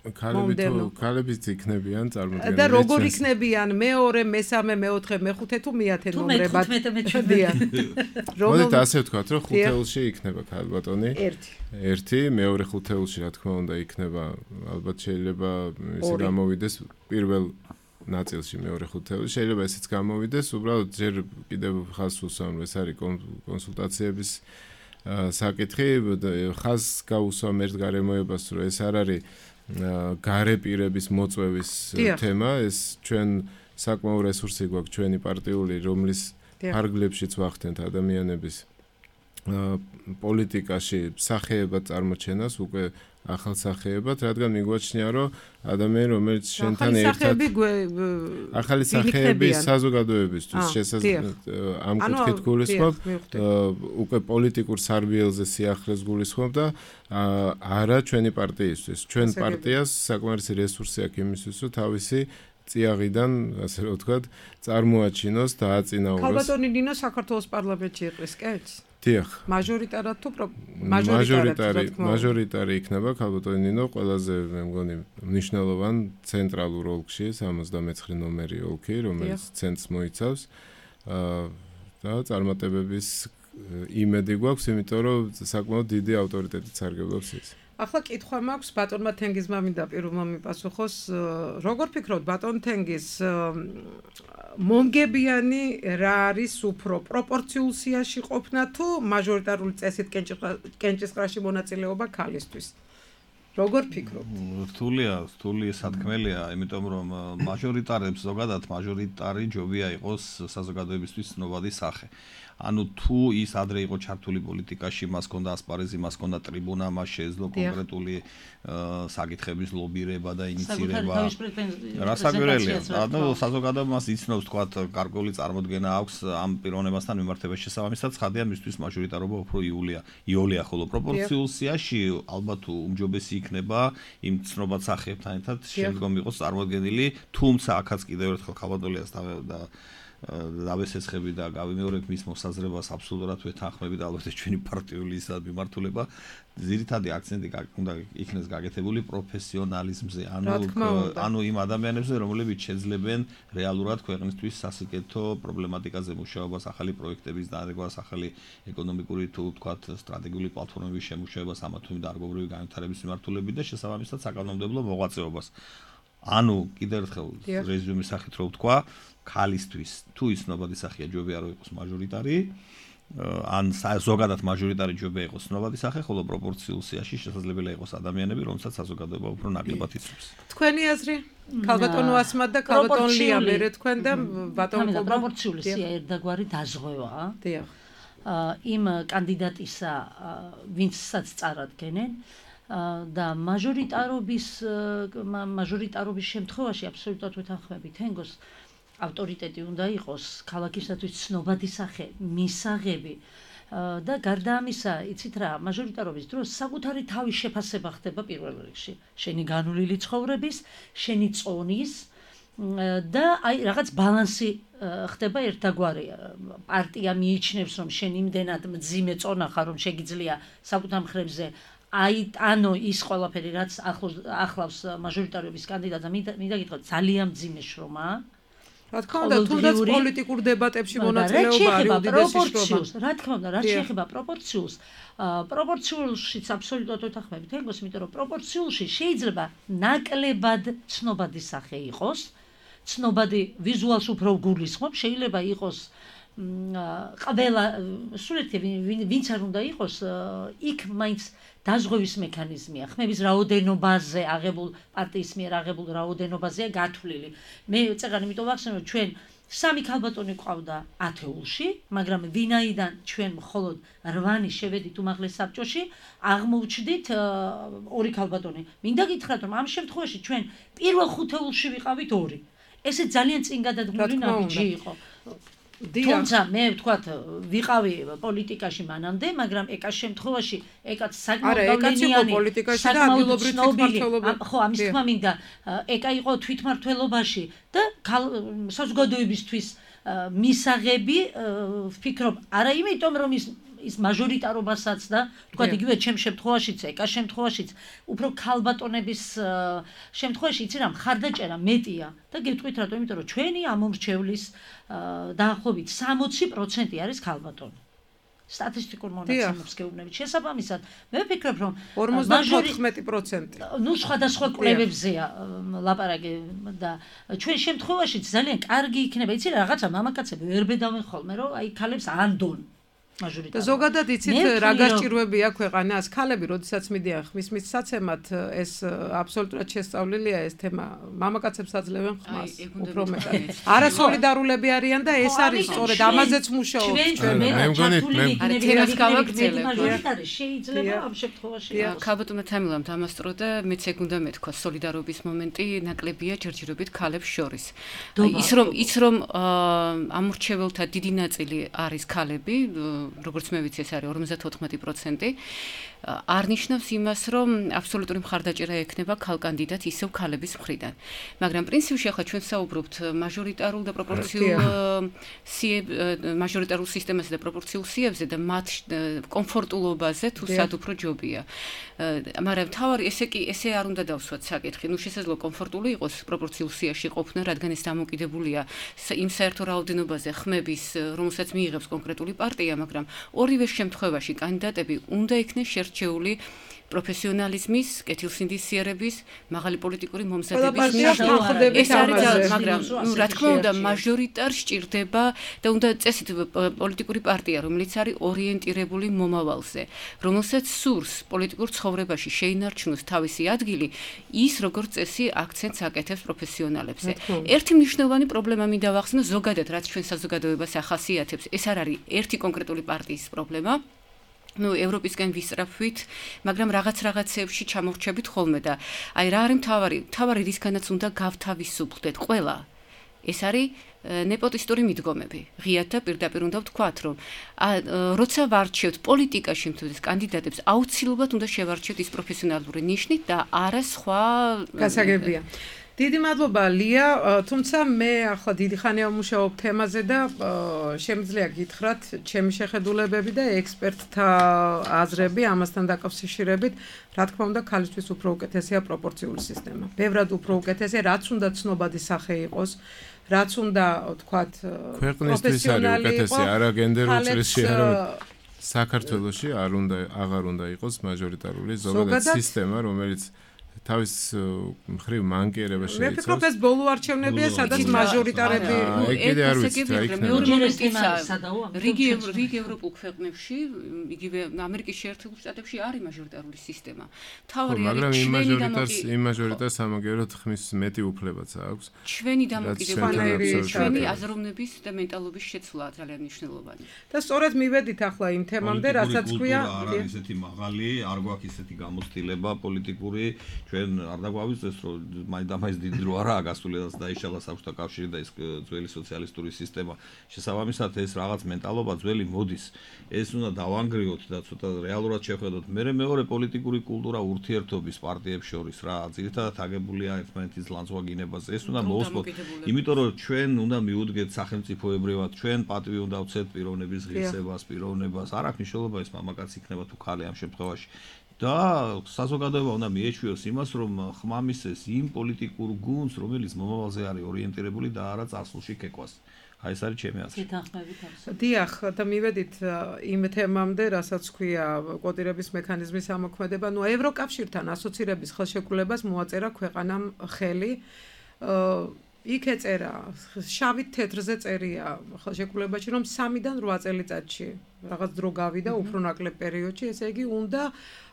ქალები თუ ქალებიც იქნებიან წარმოდგენილი. და როგორ იქნებიან მეორე, მესამე, მეოთხე, მეხუთე თუ მეათე ნომრებად? მოდით ასე ვთქვათ, რომ ხუთეულში იქნება ქალბატონი. ერთი. ერთი, მეორე ხუთეულში რა თქმა უნდა იქნება, ალბათ შეიძლება ისე გამოვიდეს პირველ ნაწილში მეორე ხუთეულში, შეიძლება ესეც გამოვიდეს, უბრალოდ ჯერ კიდევ ხაზს უსვამ, ეს არის კონსულტაციების საკითხი, ხაზს გაუსვამ ერთ გარემოებას, რომ ეს არ არის გარე პირების მოწვევის თემა, ეს ჩვენ საკმაო რესურსი გვაქვს ჩვენი პარტიული, რომლის ფარგლებშიც ვახდენთ ადამიანების პოლიტიკაში სახეებად წარმოჩენას, უკვე ახალ სახეებად, რადგან მიგვაჩნია, რომ ადამიანი, რომელიც შენთან ერთად ახალი სახეები საზოგადოებისთვის შესაძლოა ამ კუთხით გულისხმობ, უკვე პოლიტიკურ სარბიელზე სიახლეს გულისხმობ და არა ჩვენი პარტიისთვის. ჩვენ პარტიას საკმარისი რესურსი აქვს იმისთვის, რომ თავისი წიაღიდან, ასე რომ ვთქვათ, წარმოაჩინოს და აწინაუროს. ქალბატონი ნინო საქართველოს პარლამენტში იყრის, კეთს? დიახ. მაჟორიტარად თუ მაჟორიტარი, მაჟორიტარი იქნება ქალბატონი ნინო ყველაზე მე მგონი მნიშვნელოვან ცენტრალურ ოლქში, სამოცდამეცხრე ნომერი ოლქი, რომელიც ცენტრს მოიცავს. და წარმატებების იმედი გვაქვს, იმიტომ რომ საკმაოდ დიდი ავტორიტეტით სარგებლობს ის. ახლა კითხვა მაქვს ბატონმა თენგიზმა მინდა პირველმა მიპასუხოს როგორ ფიქრობთ ბატონ თენგიზ მომგებიანი რა არის უფრო პროპორციულ სიაში ყოფნა თუ მაჟორიტარული წესით კენჭისყრაში მონაწილეობა ქალისთვის როგორ ფიქრობთ რთულია რთული სათქმელია იმიტომ რომ მაჟორიტარებს ზოგადად მაჟორიტარი ჯობია იყოს საზოგადოებისთვის ცნობადი სახე ანუ თუ ის ადრე იყო ჩართული პოლიტიკაში, მას ჰქონდა ასპარეზი, მას ჰქონდა ტრიბუნა, მას შეეძლო კონკრეტული საკითხების ლობირება და ინიციირება. რასაკვირველია, ანუ საზოგადოება მას იცნობს, თქვათ, გარკვეული წარმოდგენა აქვს ამ პიროვნებასთან მიმართების შესაბამისად, ცხადია მისთვის მაჟორიტარობა უფრო იულია, იოლია, ხოლო პროპორციულ სიაში ალბათ უმჯობესი იქნება იმ ცნობად სახეებთან ერთად შემდგომ იყოს წარმოდგენილი, თუმცა აქაც კიდევ ერთხელ ხალხადოლიას და დავესეცხები და გავიმეორებ მის მოსაზრებას აბსოლუტურად ვეთანხმები და ალბათ ჩვენი პარტიული ისა მიმართულება ძირითადი აქცენტი უნდა იქნეს გაკეთებული პროფესიონალიზმზე ანუ ანუ იმ ადამიანებზე რომლებიც შეძლებენ რეალურად ქვეყნისთვის სასიკეთო პრობლემატიკაზე მუშაობას ახალი პროექტების დანერგვას ახალი ეკონომიკური თუ ვთქვათ სტრატეგიული პლატფორმების შემუშავებას ამა თუ იმ დარგობრივი განვითარების მიმართულებით და შესაბამისად საკანონმდებლო მოღვაწეობას ანუ კიდევ ერთხელ რეზიუმის სახით რო ვთქვა ქალისთვის თუ ის ცნობადი სახეა ჯობია რომ იყოს მაჟორიტარი ან ზოგადად მაჟორიტარი ჯობია იყოს ცნობადი სახე ხოლო პროპორციულ სიაში შესაძლებელია იყოს ადამიანები რომელსაც საზოგადოება უფრო ნაკლებად იცნობს თქვენი აზრი ქალბატონო ასმად და ქალბატონ ლია მერე თქვენ და ბატონ კობა პროპორციული სია ერთგვარი დაზღვევაა დიახ იმ კანდიდატისა ვინცსაც წარადგენენ და მაჟორიტარობის მაჟორიტარობის შემთხვევაში აბსოლუტურად ვეთანხმები თენგოს ავტორიტეტი უნდა იყოს ქალაქისათვის ცნობადი სახე, მისაღები და გარდა ამისა, იცით რა, მაჟორიტარობის დროს საკუთარი თავის შეფასება ხდება პირველ რიგში. შენი განვლილი ცხოვრების, შენი წონის და აი რაღაც ბალანსი ხდება ერთგვარი. პარტია მიიჩნევს, რომ შენ იმდენად მძიმე წონა ხარ, რომ შეგიძლია საკუთარ მხრებზე აი ანუ ის ყველაფერი რაც ახლავს მაჟორიტარობის კანდიდატს მინდა გითხრათ ძალიან მძიმე შრომაა რა თქმა უნდა თუნდაც პოლიტიკურ დებატებში მონაწილეობა არის უდიდესი შრომა რა თქმა უნდა რაც შეეხება პროპორციულს პროპორციულშიც აბსოლუტურად ვეთანხმები თენგოს იმიტომ რომ პროპორციულში შეიძლება ნაკლებად ცნობადი სახე იყოს ცნობადი ვიზუალს უფრო გულისხმობ შეიძლება იყოს ყველა სულეთი ვინც არ უნდა იყოს იქ მაინც დაზღვევის მექანიზმია ხმების რაოდენობაზე აღებულ პარტიის მიერ აღებულ რაოდენობაზეა გათვლილი მე წეგან იმიტომ ვახსენე რომ ჩვენ სამი ქალბატონი ყავდა ათეულში მაგრამ ვინაიდან ჩვენ მხოლოდ რვანი შევედით უმაღლეს საბჭოში აღმოჩნდით ორი ქალბატონი მინდა გითხრათ რომ ამ შემთხვევაში ჩვენ პირველ ხუთეულში ვიყავით ორი ესე ძალიან წინ გადადგმული ნაბიჯი იყო თუმცა მე ვთქვათ ვიყავი პოლიტიკაში მანამდე მაგრამ ეკას შემთხვევაში ეკაც საკმაოდ გავლენიანი საკმაოდ ცნობილი ხო ამის თქმა მინდა ეკა იყო თვითმართველობაში და საზოგადოებისთვის მისაღები ვფიქრობ არა იმიტომ რომ ის ის მაჟორიტარობასაც და თქვა იგივე ჩემ შემთხვევაშიც ეკა შემთხვევაშიც უფრო ქალბატონების შემთხვევაში იცი რა მხარდაჭერა მეტია და გეტყვით რატომ იმიტომ რომ ჩვენი ამომრჩევლის დაახლოებით სამოცი პროცენტი არის ქალბატონი სტატისტიკურ მონაცემებს გეუბნებით შესაბამისად მე ვფიქრობ რომ ორმოცდაოთხმეტი პროცენტი ნუ სხვადასხვა კვლევებზეა ლაპარაკი და ჩვენ შემთხვევაში ძალიან კარგი იქნება იცი რა რაღაცა მამაკაცები ვერ ბედავენ ხოლმე რომ აი ქალებს ანდონ და ზოგადად იცით რა გასჭირვებია ქვეყანას ქალები როდესაც მიდიან ხმის მისაცემად ეს აბსოლუტურად შესწავლილია ეს თემა მამაკაცებს აძლევენ ხმას უფრო მეტად არასოლიდარულები არიან და ეს არის სწორედ ამაზეც მუშაობთ ჩვენ მე მგონი მე არა თემას გავაგრძელებ შეიძლება ამ შემთხვევაში ქალბატონო თამილამ დამასწრო და მეც ეგ უნდა მეთქვა სოლიდარობის მომენტი ნაკლებია ჯერჯერობით ქალებს შორის ის რომ ის რომ ამორჩეველთა დიდი ნაწილი არის ქალები როგორც მე ვიცი ეს არის ორმოცდათოთხმეტი პროცენტი არ ნიშნავს იმას რომ აბსოლუტური მხარდაჭერა ექნება ქალ კანდიდატ ისევ ქალების მხრიდან მაგრამ პრინციპში ახლა ჩვენ საუბრობთ მაჟორიტარულ და პროპორციულ სიებ მაჟორიტარულ სისტემაზე და პროპორციულ სიებზე და მათ კომფორტულობაზე თუ სად უფრო ჯობია მაგრამ თავარი ესე კი ესე არ უნდა დავსვათ საკითხი ნუ შესაძლოა კომფორტული იყოს პროპორციულ სიაში ყოფნა რადგან ეს დამოკიდებულია იმ საერთო რაოდენობაზე ხმების რომელსაც მიიღებს კონკრეტული პარტია მაგრამ ორივე შემთხვევაში კანდიდატები უნდა იქნეს შერჩეული პროფესიონალიზმის, კეთილსინდისიერების, მაღალი პოლიტიკური მომზადების მიხედვით ეს არის მაგრამ ნუ რა თქმა უნდა მაჟორიტარ სჭირდება და უნდა წესით პოლიტიკური პარტია რომელიც არის ორიენტირებული მომავალზე რომელსაც სურს პოლიტიკურ ცხოვრებაში შეინარჩუნოს თავისი ადგილი ის როგორც წესი აქცენტს აკეთებს პროფესიონალებზე ერთი მნიშვნელოვანი პრობლემა მინდა ვახსნო ზოგადად რაც ჩვენ საზოგადოებას ახასიათებს ეს არ არის ერთი კონკრეტული პარტიის პრობლემა ну ევროპისგან ვისწრაფვით, მაგრამ რაღაც რაღაცებში ჩამორჩებით ხოლმე და აი რა არის მთავარი, მთავარი რისგანაც უნდა გავთავისუფლდეთ ყველა. ეს არის ნეპოტისტური მიდგომები. ღიად და პირდაპირ უნდა ვთქვათ, რომ როცა ვარჩევთ პოლიტიკაში მთლიანად კანდიდატებს, აუცილებლად უნდა შევარჩიოთ ის პროფესიონალური ნიშნით და არა სხვა გასაგებია. დიდი მადლობა ლია, თუმცა მე ახლა დიდი ხანია ვმუშაობ თემაზე და შემიძლია გითხრათ ჩემი შეხედულებები და ექსპერტთა აზრები ამასთან დაკავშირებით, რა თქმა უნდა, ქალისთვის უფრო უკეთესია პროპორციული სისტემა. ბევრად უფრო უკეთესია, რაც უნდა ცნობადი სახე იყოს, რაც უნდა ვთქვათ, ქვეყნისთვის არის უკეთესი, არა გენდერულ წრეში, არა საქართველოში არ უნდა აღარ უნდა იყოს მაჟორიტარული ზოგადად სისტემა, რომელიც თავის მხრივ მანკიერება შეიცავს. მე ვფიქრობ ეს ბოლო არჩევნებია, სადაც მაჟორიტარები ეგ არ ვიცი რა იქნება. რიგი რიგი ევროპულ ქვეყნებში, იგივე ამერიკის შეერთებულ შტატებში არის მაჟორიტარული სისტემა. თავარი არის მაგრამ იმ მაჟორიტარს იმ მაჟორიტარს ამაგეროთ ხმის მეტი უფლებაც აქვს. ჩვენი დამოკიდებულება, ჩვენი აზროვნების და მენტალობის შეცვლა ძალიან მნიშვნელოვანი. და სწორედ მივედით ახლა იმ თემამდე, რასაც ქვია, არ არის ესეთი მაღალი, არ გვაქვს ესეთი გამოცდილება პოლიტიკური ჩვენ არ დაგვავიწყდეს რომ მაინდა-მაინც დიდი დრო არაა გასული და დაიშალა საბჭოთა კავშირი და ის ძველი სოციალისტური სისტემა შესაბამისად ეს რაღაც მენტალობა ძველი მოდის ეს უნდა დავანგრიოთ და ცოტა რეალურად შევხედოთ მე მეორე პოლიტიკური კულტურა ურთიერთობის პარტიებს შორის რა ძირითადად აგებულია ერთმანეთის ლანძღვაგინებას ეს უნდა მოუსწროთ იმიტომ რომ ჩვენ უნდა მიუდგეთ სახელმწიფოებრივად ჩვენ პატივი უნდა ვცეთ პიროვნების ღირსებას პიროვნებას არ აქვს მნიშვნელობა ეს მამაკაც იქნება თუ ქალი ამ შემთხვევაში და საზოგადოება უნდა მიეჩვიოს იმას, რომ ხმამისეს იმ პოლიტიკურ გუნდს, რომელიც მომავალზე არის ორიენტირებული და არა წარსულში კეკვას. აი ეს არის ჩემი აზრი. დიახ, და მივედით იმ თემამდე, რასაც ქვია კოდირების მექანიზმის ამოქმედება, ნუ ევროკავშირთან ასოცირების ხელშეკრულებას მოაწერა ქვეყანამ ხელი. იქ ეწერა, შავით თეთრზე წერია ხელშეკრულებაში, რომ სამიდან რვა წელიწადში რაღაც დრო გავიდა უფრო ნაკლებ პერიოდში, ესე იგი უნდა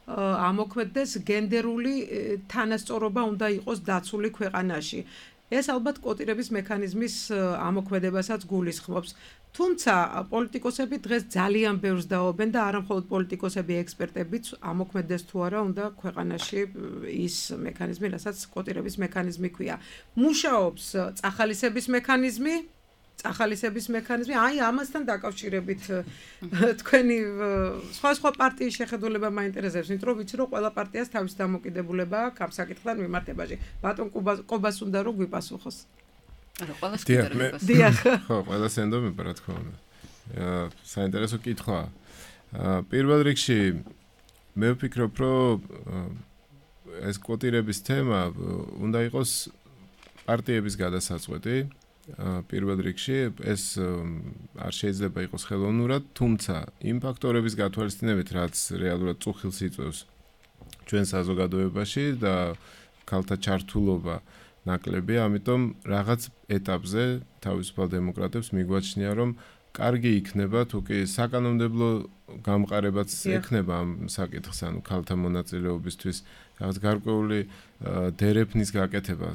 ამოქმედდეს გენდერული თანასწორობა უნდა იყოს დაცული ქვეყანაში. ეს ალბათ კოტირების მექანიზმის ამოქმედებასაც გულისხმობს. თუმცა პოლიტიკოსები დღეს ძალიან ბევრს დაობენ და არა მხოლოდ პოლიტიკოსები, ექსპერტებიც ამოქმედდეს თუ არა უნდა ქვეყანაში ის მექანიზმი, რასაც კოტირების მექანიზმი ქვია. მუშაობს წახალისების მექანიზმი ახალისების მექანიზმი, აი ამასთან დაკავშირებით თქვენი სხვა სხვა პარტიის შეხედულება მაინტერესებს, იმიტომ რომ ვიცი რომ ყველა პარტიას თავის დამოკიდებულება აქვს ამ საკითხთან მიმართებაში. ბატონ კობას უნდა რომ გვიპასუხოს. არა, ყველას კიდევ. დიახ. ხო, ყველას ენდომება რა თქმა უნდა. საინტერესო კითხვაა. პირველ რიგში მე ვფიქრობ, რომ ეს კვოტირების თემა უნდა იყოს პარტიების გადასაწყვეტი. პირველ რიგში ეს არ შეიძლება იყოს ხელოვნურად, თუმცა იმ ფაქტორების გათვალისწინებით, რაც რეალურად წუხილს იწვევს ჩვენ საზოგადოებაში და ქალთა ჩართულობა ნაკლებია, ამიტომ რაღაც ეტაპზე თავისუფალ დემოკრატებს მიგვაჩნია, რომ კარგი იქნება, თუ კი საკანონმდებლო გამყარებაც ექნება ამ საკითხს, ანუ ქალთა მონაწილეობისთვის, რაღაც გარკვეული დერეფნის გაკეთება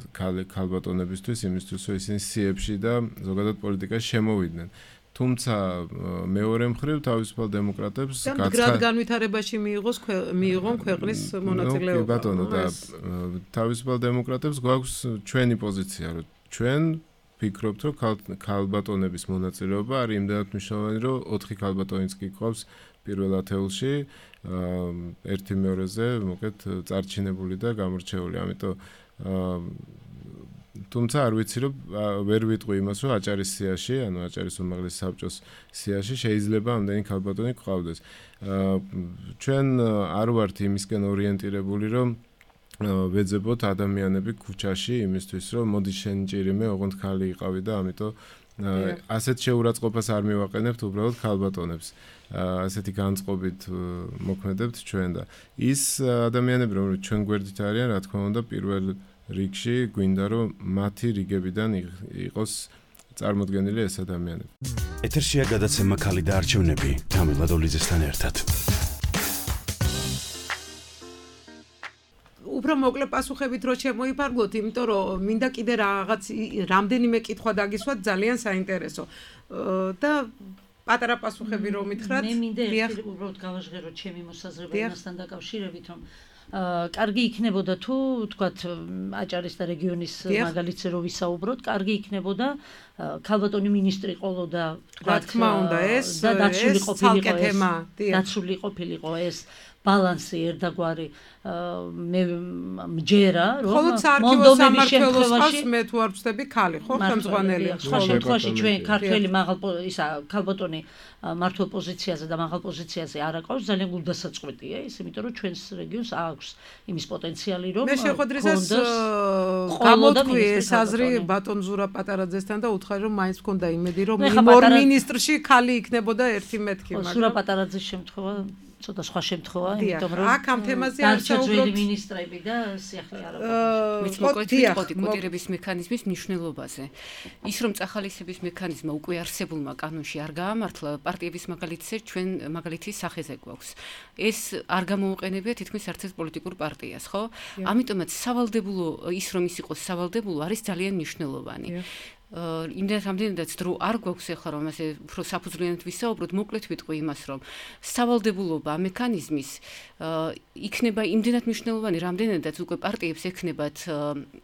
ქალბატონებისთვის, იმისთვის, რომ ისინი სიებში და ზოგადად პოლიტიკაში შემოვიდნენ. თუმცა მეორე მხრივ თავისუფალ დემოკრატებს გაცხადდა განვითარებაში მიიღოს მიიღონ ქვეყნის მონაწილეობა. კი ბატონო, და თავისუფალ დემოკრატებს გვაქვს ჩვენი პოზიცია, რომ ჩვენ ვფიქრობთ, რომ ქალბატონების მონაწილეობა არის იმდენად მნიშვნელოვანი, რომ ოთხი ქალბატონიც კი გვყავს პირველ ათეულში, ერთი მეორეზე, მოკეთ წარჩინებული და გამორჩეული. ამიტომ თუმცა არ ვიცი, რომ ვერ ვიტყვი იმას, რომ აჭარის სიაში, ანუ აჭარის უმაღლეს საბჭოს სიაში შეიძლება ამდენი ქალბატონი გვყავდეს. ჩვენ არ ვართ იმისკენ ორიენტირებული, რომ ვეძებოთ ადამიანები ქუჩაში იმისთვის, რომ მოდი შენ ჭირიმე, ოღონდ ქალი იყავი და ამიტომ ასეთ შეურაცხყოფას არ მივაყენებთ უბრალოდ ქალბატონებს. ასეთი განწყობით მოქმედებთ ჩვენ და ის ადამიანები, რომლებიც ჩვენ გვერდით არიან, რა თქმა უნდა, პირველ რიგში გვინდა, რომ მათი რიგებიდან იყოს წარმოდგენილი ეს ადამიანები. ეთერშია გადაცემა ქალი და არჩევნები თამილა დოლიძესთან ერთად. უფრო მოკლე პასუხებით რო შემოიფარგლოთ, იმიტომ რომ მინდა კიდე რაღაც რამდენიმე კითხვა დაგისვათ, ძალიან საინტერესო. და პატარა პასუხები რომ მითხრათ, მე მინდა ერთი უბრალოდ გავაჟღეროთ ჩემი მოსაზრება იმასთან დაკავშირებით, რომ კარგი იქნებოდა თუ თქვათ აჭარის და რეგიონის მაგალითზე რო ვისაუბროთ, კარგი იქნებოდა ქალბატონი მინისტრი ყოლოდა, თქვათ, რა თქმა უნდა, ეს და დაცული ყოფილიყო ეს, დიახ, დაცული ყოფილიყო ეს ბალანსი ერთგვარი მე მჯერა, რომ მონდომების შემთხვევაში მე თუ არ ვწდები ქალი, ხო, ხელმძღვანელი. სხვა შემთხვევაში ჩვენ ქართველი მაღალ ისა ქალბატონი მართლ პოზიციაზე და მაღალ პოზიციაზე არ აკავს, ძალიან გულდასაწყვეტია ის, იმიტომ რომ ჩვენს რეგიონს აქვს იმის პოტენციალი, რომ მე შეხვედრისას გამოთქვი ეს აზრი ბატონ ზურა პატარაძესთან და უთხარი, რომ მაინც მქონდა იმედი, რომ იმ ორ მინისტრში ქალი იქნებოდა ერთი მეთქი, მაგრამ ზურა პატარაძის შემთხვევა ცოტა სხვა შემთხვევა, იმიტომ რომ აქ ამ თემაზე არ საუბრობთ მინისტრები და სიახლე არ არის. მოკლედ ვიტყოდი კოტირების მექანიზმის მნიშვნელობაზე. ის რომ წახალისების მექანიზმა უკვე არსებულმა კანონში არ გაამართლა, პარტიების მაგალითზე ჩვენ მაგალითის სახეზე გვაქვს. ეს არ გამოუყენებია თითქმის არც ერთ პოლიტიკურ პარტიას, ხო? ამიტომაც სავალდებულო ის რომ ის იყოს სავალდებულო არის ძალიან მნიშვნელოვანი. იმდენად რამდენადაც დრო არ გვაქვს ახლა რომ ასე უფრო საფუძვლიანად ვისაუბროთ, მოკლედ ვიტყვი იმას, რომ სავალდებულობა მექანიზმის იქნება იმდენად მნიშვნელოვანი, რამდენადაც უკვე პარტიებს ექნებათ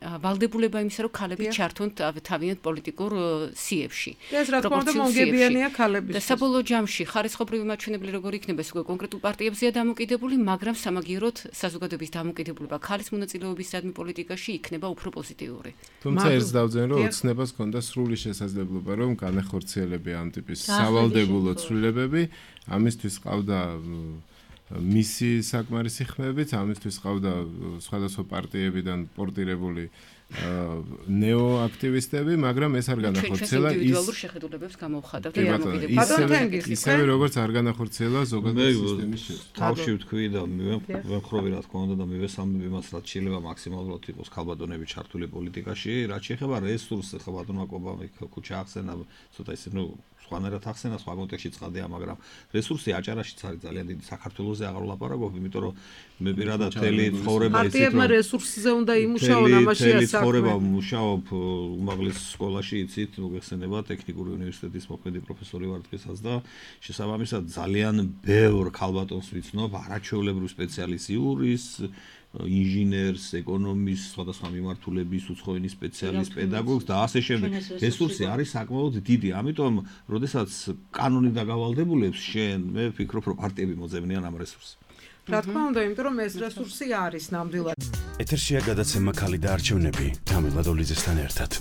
ვალდებულება იმისა, რომ ქალები ჩართონ თავიანთ პოლიტიკურ სიებში. ეს რა თქმა უნდა მომგებიანია ქალების. და საბოლოო ჯამში ხარისხობრივი მაჩვენებელი როგორ იქნება, ეს უკვე კონკრეტულ პარტიებზეა დამოკიდებული, მაგრამ სამაგიეროდ საზოგადოების დამოკიდებულება ქალის მონაწილეობისადმი პოლიტიკაში იქნება უფრო პოზიტიური. თუმცა ერთს დავძენ, რომ ოცნებას და სრული შესაძლებლობა რომ განახორციელებია ამ ტიპის სავალდებულო ცვლილებები, ამისთვის ყავდა მისი საკმარისი ხმებით, ამისთვის ყავდა სხვადასხვა პარტიებიდან პორტირებული ნეოაქტივისტები, მაგრამ ეს არ განახორციელა ის ინდივიდუალურ შეხედულებებს გამოვხატავთ და დამოკიდებულებას. ისევე როგორც არ განახორციელა ზოგადად სისტემის შესწავლა. თავში ვთქვი და მივემხრობი რა თქმა უნდა და მივესალმები იმას, რაც შეიძლება მაქსიმალურად იყოს ქალბატონები ჩართული პოლიტიკაში, რაც შეეხება რესურსს, ხო ბატონმა კობამ ქუჩა ახსენა, ცოტა ისე ნუ სხვანაირად ახსენა, სხვა კონტექსტში წადია, მაგრამ რესურსი აჭარაშიც არის ძალიან დიდი, საქართველოზე აღარ ვლაპარაკობ, იმიტომ რომ მე პირადად თელი ცხოვრება ისეთ რომ პარტიებმა რესურსზე უნდა იმუშაონ, ამაშია საქმე. ცხოვრება მუშაობ უმაღლეს სკოლაში, იცით, მოგეხსენება ტექნიკური უნივერსიტეტის მოქმედი პროფესორი ვარ დღესაც და შესაბამისად ძალიან ბევრ ქალბატონს ვიცნობ, არაჩვეულებრივ სპეციალისტ იურის, ინჟინერს, ეკონომისტს, სხვადასხვა მიმართულების უცხოენის სპეციალისტს, პედაგოგს და ასე შემდეგ. რესურსი არის საკმაოდ დიდი, ამიტომ, როდესაც კანონი დაგავალდებულებს შენ, მე ვფიქრობ, რომ პარტიები მოძებნიან ამ რესურსს. რა თქმა უნდა, იმიტომ რომ ეს რესურსი არის ნამდვილად. ეთერშია გადაცემა ქალი და არჩევნები თამილა დოლიძესთან ერთად.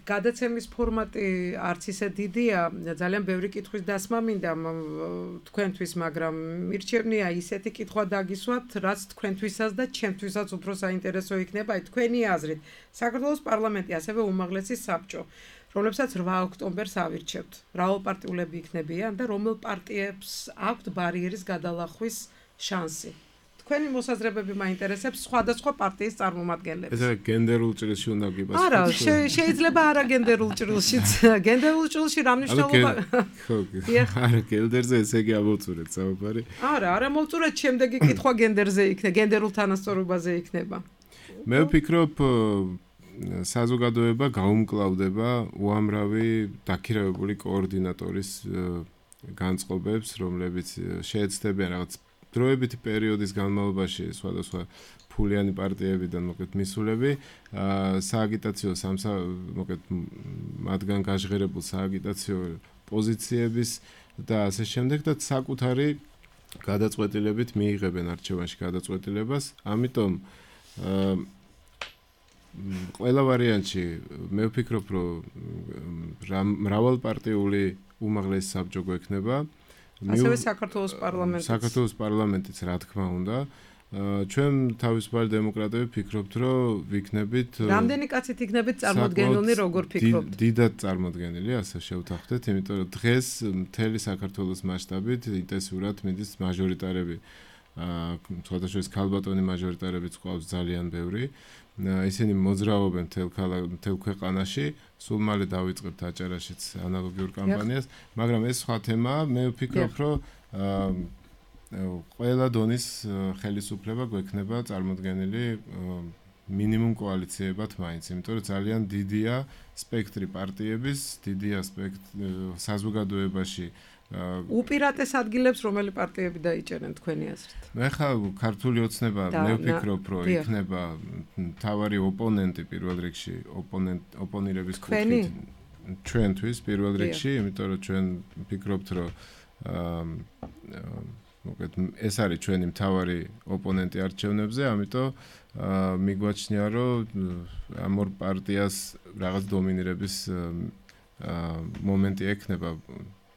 გადაცემის ფორმატი არც ისე დიდია, ძალიან ბევრი კითხვის დასმა მინდა თქვენთვის, მაგრამ მირჩევნია ისეთი კითხვა დაგისვათ, რაც თქვენთვისაც და ჩემთვისაც უფრო საინტერესო იქნება, აი თქვენი აზრით. საქართველოს პარლამენტი, ასევე უმაღლესი საბჭო, რომლებსაც რვა ოქტომბერს ავირჩევთ. მრავალპარტიულები იქნებიან და რომელ პარტიებს აქვთ ბარიერის გადალახვის შანსი? თქვენი მოსაზრებები მაინტერესებს სხვადასხვა პარტიის წარმომადგენლებს. ეს გენდერულ ჭრილში უნდა გიბას. არა, შეიძლება არა გენდერულ ჭრილშიც. გენდერულ ჭრილში რა მნიშვნელობა? ხო, არა, გენდერზე ესე იგი ამოვწურეთ საუბარი. არა, არა მოვწურეთ, შემდეგი კითხვა გენდერზე იქნება, გენდერულ თანასწორობაზე იქნება. მე ვფიქრობ საზოგადოება გაუმკლავდება უამრავი დაქირავებული კოორდინატორის განწყობებს, რომლებიც შეეცდებიან რაღაც დროებითი პერიოდის განმავლობაში სხვადასხვა ფულიანი პარტიებიდან მოკეთ მისულები, სააგიტაციო სამსა მოკეთ მათგან გაჟღერებულ სააგიტაციო პოზიციების და ასე შემდეგ და საკუთარი გადაწყვეტილებით მიიღებენ არჩევანში გადაწყვეტილებას. ამიტომ ყველა ვარიანტში მე ვფიქრობ, რომ მრავალპარტიული უმაღლესი საბჭო გვექნება. ასევე საქართველოს პარლამენტიც. საქართველოს პარლამენტიც რა თქმა უნდა. ჩვენ თავისუფალი დემოკრატები ვფიქრობთ, რომ ვიქნებით რამდენი კაცით იქნებით წარმოდგენილნი, როგორ ფიქრობთ? დიდად წარმოდგენილი, ასე შევთანხმდეთ, იმიტომ რომ დღეს მთელი საქართველოს მასშტაბით ინტენსიურად მიდის მაჟორიტარები. სხვადასხვა ქალბატონი მაჟორიტარებიც ყავს ძალიან ბევრი. ისინი მოძრაობენ მთელ ქვეყანაში, სულ მალე დავიწყებთ აჭარაშიც ანალოგიურ კამპანიას, მაგრამ ეს სხვა თემაა. მე ვფიქრობ, რომ ყველა დონის ხელისუფლება გვექნება წარმოდგენილი მინიმუმ კოალიციებად მაინც, იმიტომ რომ ძალიან დიდია სპექტრი პარტიების, დიდია სპექტრი საზოგადოებაში. უპირატეს ადგილებს რომელი პარტიები დაიჭერენ თქვენი აზრით? მე ხა ქართული ოცნება მე ვფიქრობ, რომ იქნება მთავარი ოპონენტი პირველ რიგში, ოპონირების კუთხით ჩვენთვის პირველ რიგში, იმიტომ რომ ჩვენ ვფიქრობთ, რომ მოკეთ ეს არის ჩვენი მთავარი ოპონენტი არჩევნებზე, ამიტომ მიგვაჩნია, რომ ამ ორ პარტიას რაღაც დომინირების მომენტი ექნება.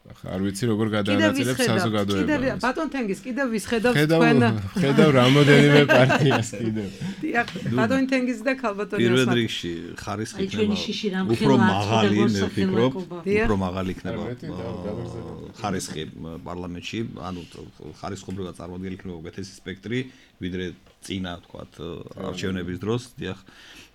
არ ვიცი როგორ გადაანაწილებ საზოგადოებას. ბატონ თენგიზ კიდევ ვის ხედავთ თქვენ? ხედავ რამოდენიმე პარტიას კიდევ. დიახ, ბატონ თენგიზ და ქალბატონი პირველ რიგში ხარისხი იქნება. უფრო მაღალი მე ვფიქრობ, უფრო მაღალი იქნება ხარისხი პარლამენტში, ანუ ხარისხობრივად წარმოდგენილი იქნება უკეთესი სპექტრი, ვიდრე წინა თქვათ არჩევნების დროს, დიახ.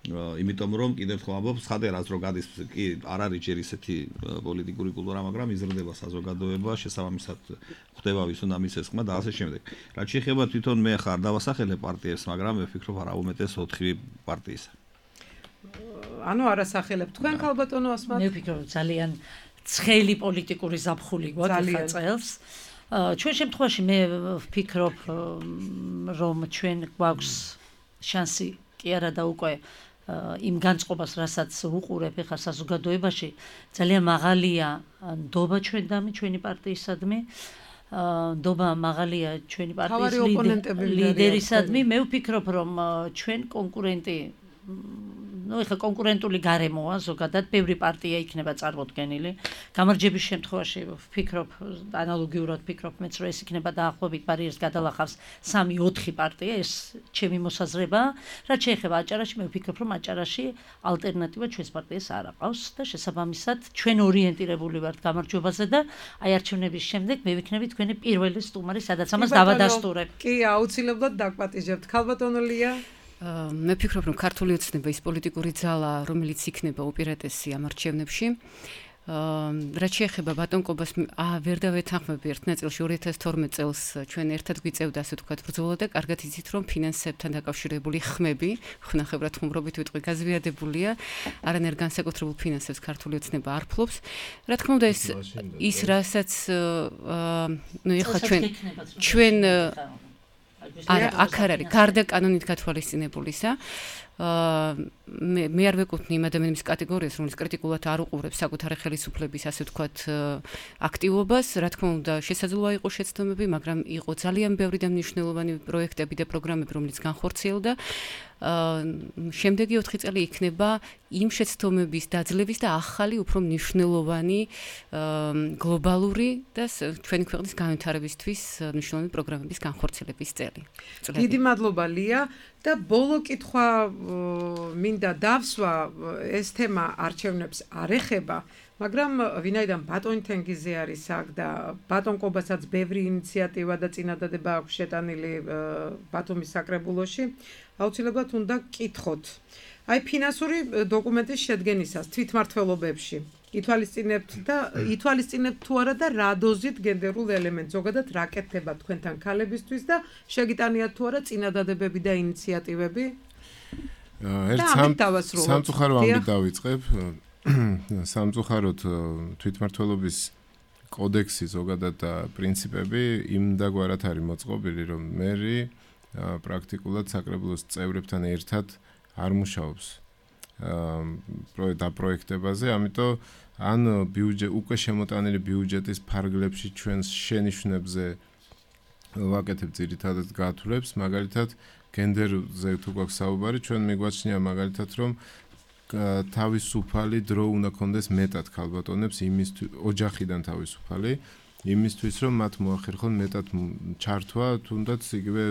იმიტომ რომ კიდევ ერთხელ ამბობ, ხადერას რო გადის კი არ არის ჯერ ისეთი პოლიტიკური კულტურა, მაგრამ იზრდება საზოგადოება, შესაბამისად ხდება ვის უნდა მისცეს ხმა და ასე შემდეგ. რაც შეეხება თვითონ მე ხარ დავასახელე პარტიებს, მაგრამ მე ვფიქრობ არა უმეტეს ოთხი პარტიისა. ანუ არასახელებ თქვენ ქალბატონო ასმათ? მე ვფიქრობ ძალიან ცხელი პოლიტიკური ზაფხული გვაქვს ხა წელს. ჩვენ შემთხვევაში მე ვფიქრობ რომ ჩვენ გვაქვს შანსი კი არა და უკვე იმ განწყობას, რასაც უყურებ ახლა საზოგადოებაში, ძალიან მაღალია ნდობა ჩვენდამი, ჩვენი პარტიისადმი, ნდობა მაღალია ჩვენი პარტიის ლიდერისადმი. მე ვფიქრობ, რომ ჩვენ კონკურენტი ну ეხა კონკურენტული გარემოა ზოგადად, ბევრი პარტია იქნება წარმოდგენილი. გამარჯვების შემთხვევაში ვფიქრობ, ანალოგიურად ვფიქრობ მეც, რომ ეს იქნება დაახლოებით ბარიერს გადალახავს სამი ოთხი პარტია, ეს ჩემი მოსაზრებაა. რაც შეეხება აჭარაში, მე ვფიქრობ, რომ აჭარაში ალტერნატივა ჩვენს პარტიას არ აყავს და შესაბამისად ჩვენ ორიენტირებული ვართ გამარჯვებაზე და აი არჩევნების შემდეგ მე ვიქნები თქვენი პირველი სტუმარი, სადაც ამას დავადასტურებ. კი, აუცილებლად დაგვატიჟებთ. ქალბატონო ლია? მე ვფიქრობ, რომ ქართული ოცნება ის პოლიტიკური ძალა, რომელიც იქნება უპირატესი ამ არჩევნებში, რაც შეეხება ბატონკობას, აა ვერ დავეთანხმები ერთ ნაწილში ორი ათას თორმეტ წელს ჩვენ ერთად გვიწევდა, ასე ვთქვათ, ბრძოლა და კარგად იცით, რომ ფინანსებთან დაკავშირებული ხმები, ხნახევრად ხუმრობით ვიტყვი, გაზვიადებულია, არანაირ განსაკუთრებულ ფინანსებს ქართული ოცნება არ ფლობს. რა თქმა უნდა, ეს ის რასაც ნუ ეხლა ჩვენ ჩვენ არა, აქ არ არის გარდა კანონით გათვალისწინებულისა. მე მე არ ვეკუთვნი იმ ადამიანების კატეგორიას, რომელიც კრიტიკულად არ უყურებს საკუთარი ხელისუფლების, ასე ვთქვათ, აქტივობას. რა თქმა უნდა, შესაძლოა იყოს შეცდომები, მაგრამ იყო ძალიან ბევრი და მნიშვნელოვანი პროექტები და პროგრამები, რომელიც განხორციელდა. შემდეგი ოთხი წელი იქნება იმ შეცდომების დაძლევის და ახალი, უფრო მნიშვნელოვანი გლობალური და ჩვენი ქვეყნის განვითარებისთვის მნიშვნელოვანი პროგრამების განხორციელების წელი. დიდი მადლობა ლია და ბოლო კითხვა მინდა დავსვა ეს თემა არჩევნებს არ ეხება, მაგრამ ვინაიდან ბატონ თენგიზე არის აქ და ბატონ კობასაც ბევრი ინიციატივა და წინადადება აქვს შეტანილი ბათუმის საკრებულოში, აუცილებლად უნდა კითხოთ. აი ფინანსური დოკუმენტის შედგენისას თვითმმართველობებში ითვალისწინებთ და ითვალისწინებთ თუ არა და რა დოზით გენდერულ ელემენტს ზოგადად რა კეთდება თქვენთან ქალებისთვის და შეგიტანიათ თუ არა წინადადებები და ინიციატივები? ერთ სამწუხარო ამით დავიწყებ. სამწუხაროდ თვითმმართველობის კოდექსი ზოგადად და პრინციპები იმდაგვარად არის მოწყობილი, რომ მერი პრაქტიკულად საკრებულოს წევრებთან ერთად არ მუშაობს პროექტებაზე, ამიტომ ან ბიუჯეტ უკვე შემოტანილი ბიუჯეტის ფარგლებში ჩვენს შენიშვნებზე ვაკეთებ ძირითადად გათვლებს, მაგალითად გენდერზე თუ გვაქვს საუბარი, ჩვენ მიგვაჩნია მაგალითად რომ თავისუფალი დრო უნდა კონდეს მეტად ქალბატონებს იმისთვის ოჯახიდან თავისუფალი იმისთვის რომ მათ მოახერხონ მეტად ჩართვა თუნდაც იგივე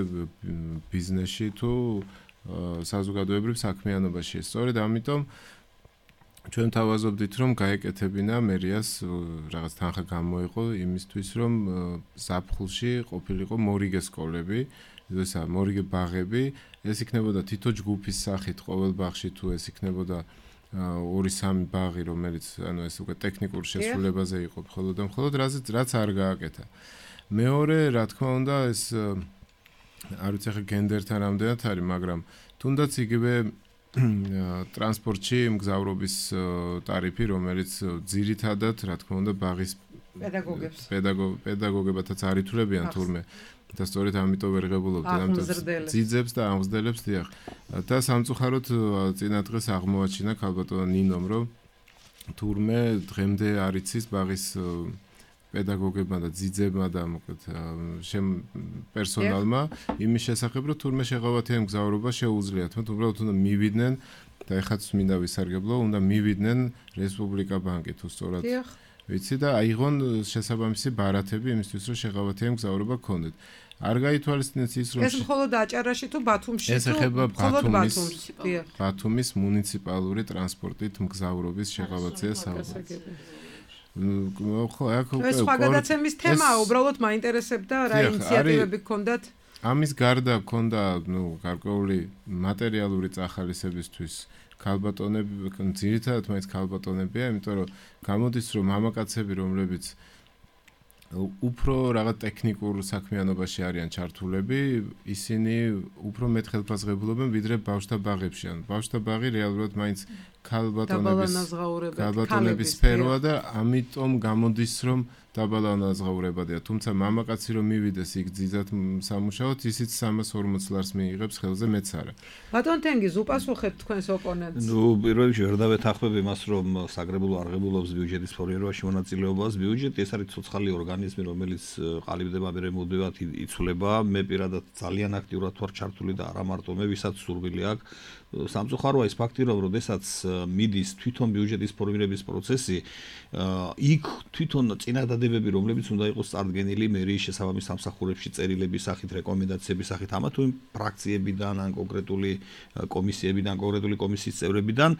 ბიზნესში თუ საზოგადოებრივ საქმიანობაში. სწორედ ამიტომ ჩვენ თავაზობდით რომ გაეკეთებინა მერიას რაღაც თანხა გამოიყო იმისთვის რომ ზაფხულში ყოფილიყო მორიგე სკოლები, ესა მორიგე ბაღები, ეს იქნებოდა თითო ჯგუფის სახით ყოველ ბაღში თუ ეს იქნებოდა ორი სამი ბაღი, რომელიც ანუ ეს უკვე ტექნიკურ შესრულებაზე იყო მხოლოდ და მხოლოდ რაზეც რაც არ გააკეთა. მეორე, რა თქმა უნდა, ეს არ ვიცი ახლა გენდერთან რამდენად არის, მაგრამ თუნდაც იგივე ტრანსპორტში მგზავრობის ტარიფი, რომელიც ძირითადად, რა თქმა უნდა, ბაღის პედაგოგებს პედაგოგებათაც არ ითვლებიან თურმე და სწორედ ამიტომ ვერ ღებულობთ ამ ძიძებს და ამღზდელებს დიახ. და სამწუხაროდ წინა დღეს აღმოაჩინა ქალბატონ ნინომ, რომ თურმე დღემდე არ იცის ბაღის პედაგოგებმა და ძიძებმა და მოკლედ შემ პერსონალმა იმის შესახებ, რომ თურმე შეღავათიან მგზავრობა შეუძლიათ, მათ უბრალოდ უნდა მივიდნენ და ეხაც მინდა ვისარგებლო, უნდა მივიდნენ რესპუბლიკა ბანკი თუ სწორად ვიცი და აიღონ შესაბამისი ბარათები იმისთვის, რომ შეღავათიან მგზავრობა გქონდეთ. არ გაითვალისწინეთ ის, რომ ეს მხოლოდ აჭარაში თუ ბათუმში თუ ეს ეხება მხოლოდ ბათუმის ბათუმის მუნიციპალური ტრანსპორტით მგზავრობის შეღავათია საუბარი. ხო, აქ უკვე ეს სხვაგადაცემის თემაა, უბრალოდ მაინტერესებდა რა ინიციატივები გქონდათ? ამის გარდა გქონდა, ნუ, გარკვეული მატერიალური წახალისებისთვის ქალბატონები, ძირითადად მაინც ქალბატონებია, იმიტომ რომ გამოდის რომ მამაკაცები, რომლებიც უფრო რაღაც ტექნიკურ საქმიანობაში არიან ჩართულები, ისინი უფრო მეტ ხელფასღებულობენ ვიდრე ბავშვთა ბაღებში. ან ბავშვთა ბაღი რეალურად მაინც ქალბატონების ქალბატონების სფეროა და ამიტომ გამოდის რომ დაბალანაზღაურებადია. თუმცა მამაკაცი რომ მივიდეს იქ ძიძად სამუშაოდ, ისიც სამას ორმოც ლარს მიიღებს ხელზე, მეც არა. ბატონ თენგიზ, უპასუხებთ თქვენს ოპონენტს? ნუ პირველ რიგში ვერ დავეთანხმებ იმას, რომ საკრებულო არღებულობს ბიუჯეტის ფორმირებაში მონაწილეობას. ბიუჯეტი ეს არის ცოცხალი ორგანიზმი, რომელიც ყალიბდება, მერე მოდევად იცვლება. მე პირადად ძალიან აქტიურად ვარ ჩართული და არა მარტო მე, ვისაც სურვილი აქვს. სამწუხაროა ის ფაქტი, რომ როდესაც მიდის თვითონ ბიუჯეტის ფორმირების პროცესი, იქ თვითონ წინადადებები, რომლებიც უნდა იყოს წარდგენილი მერიის შესაბამის სამსახურებში წერილების სახით, რეკომენდაციების სახით, ამა თუ იმ ფრაქციებიდან, ან კონკრეტული კომისიებიდან, კონკრეტული კომისიის წევრებიდან,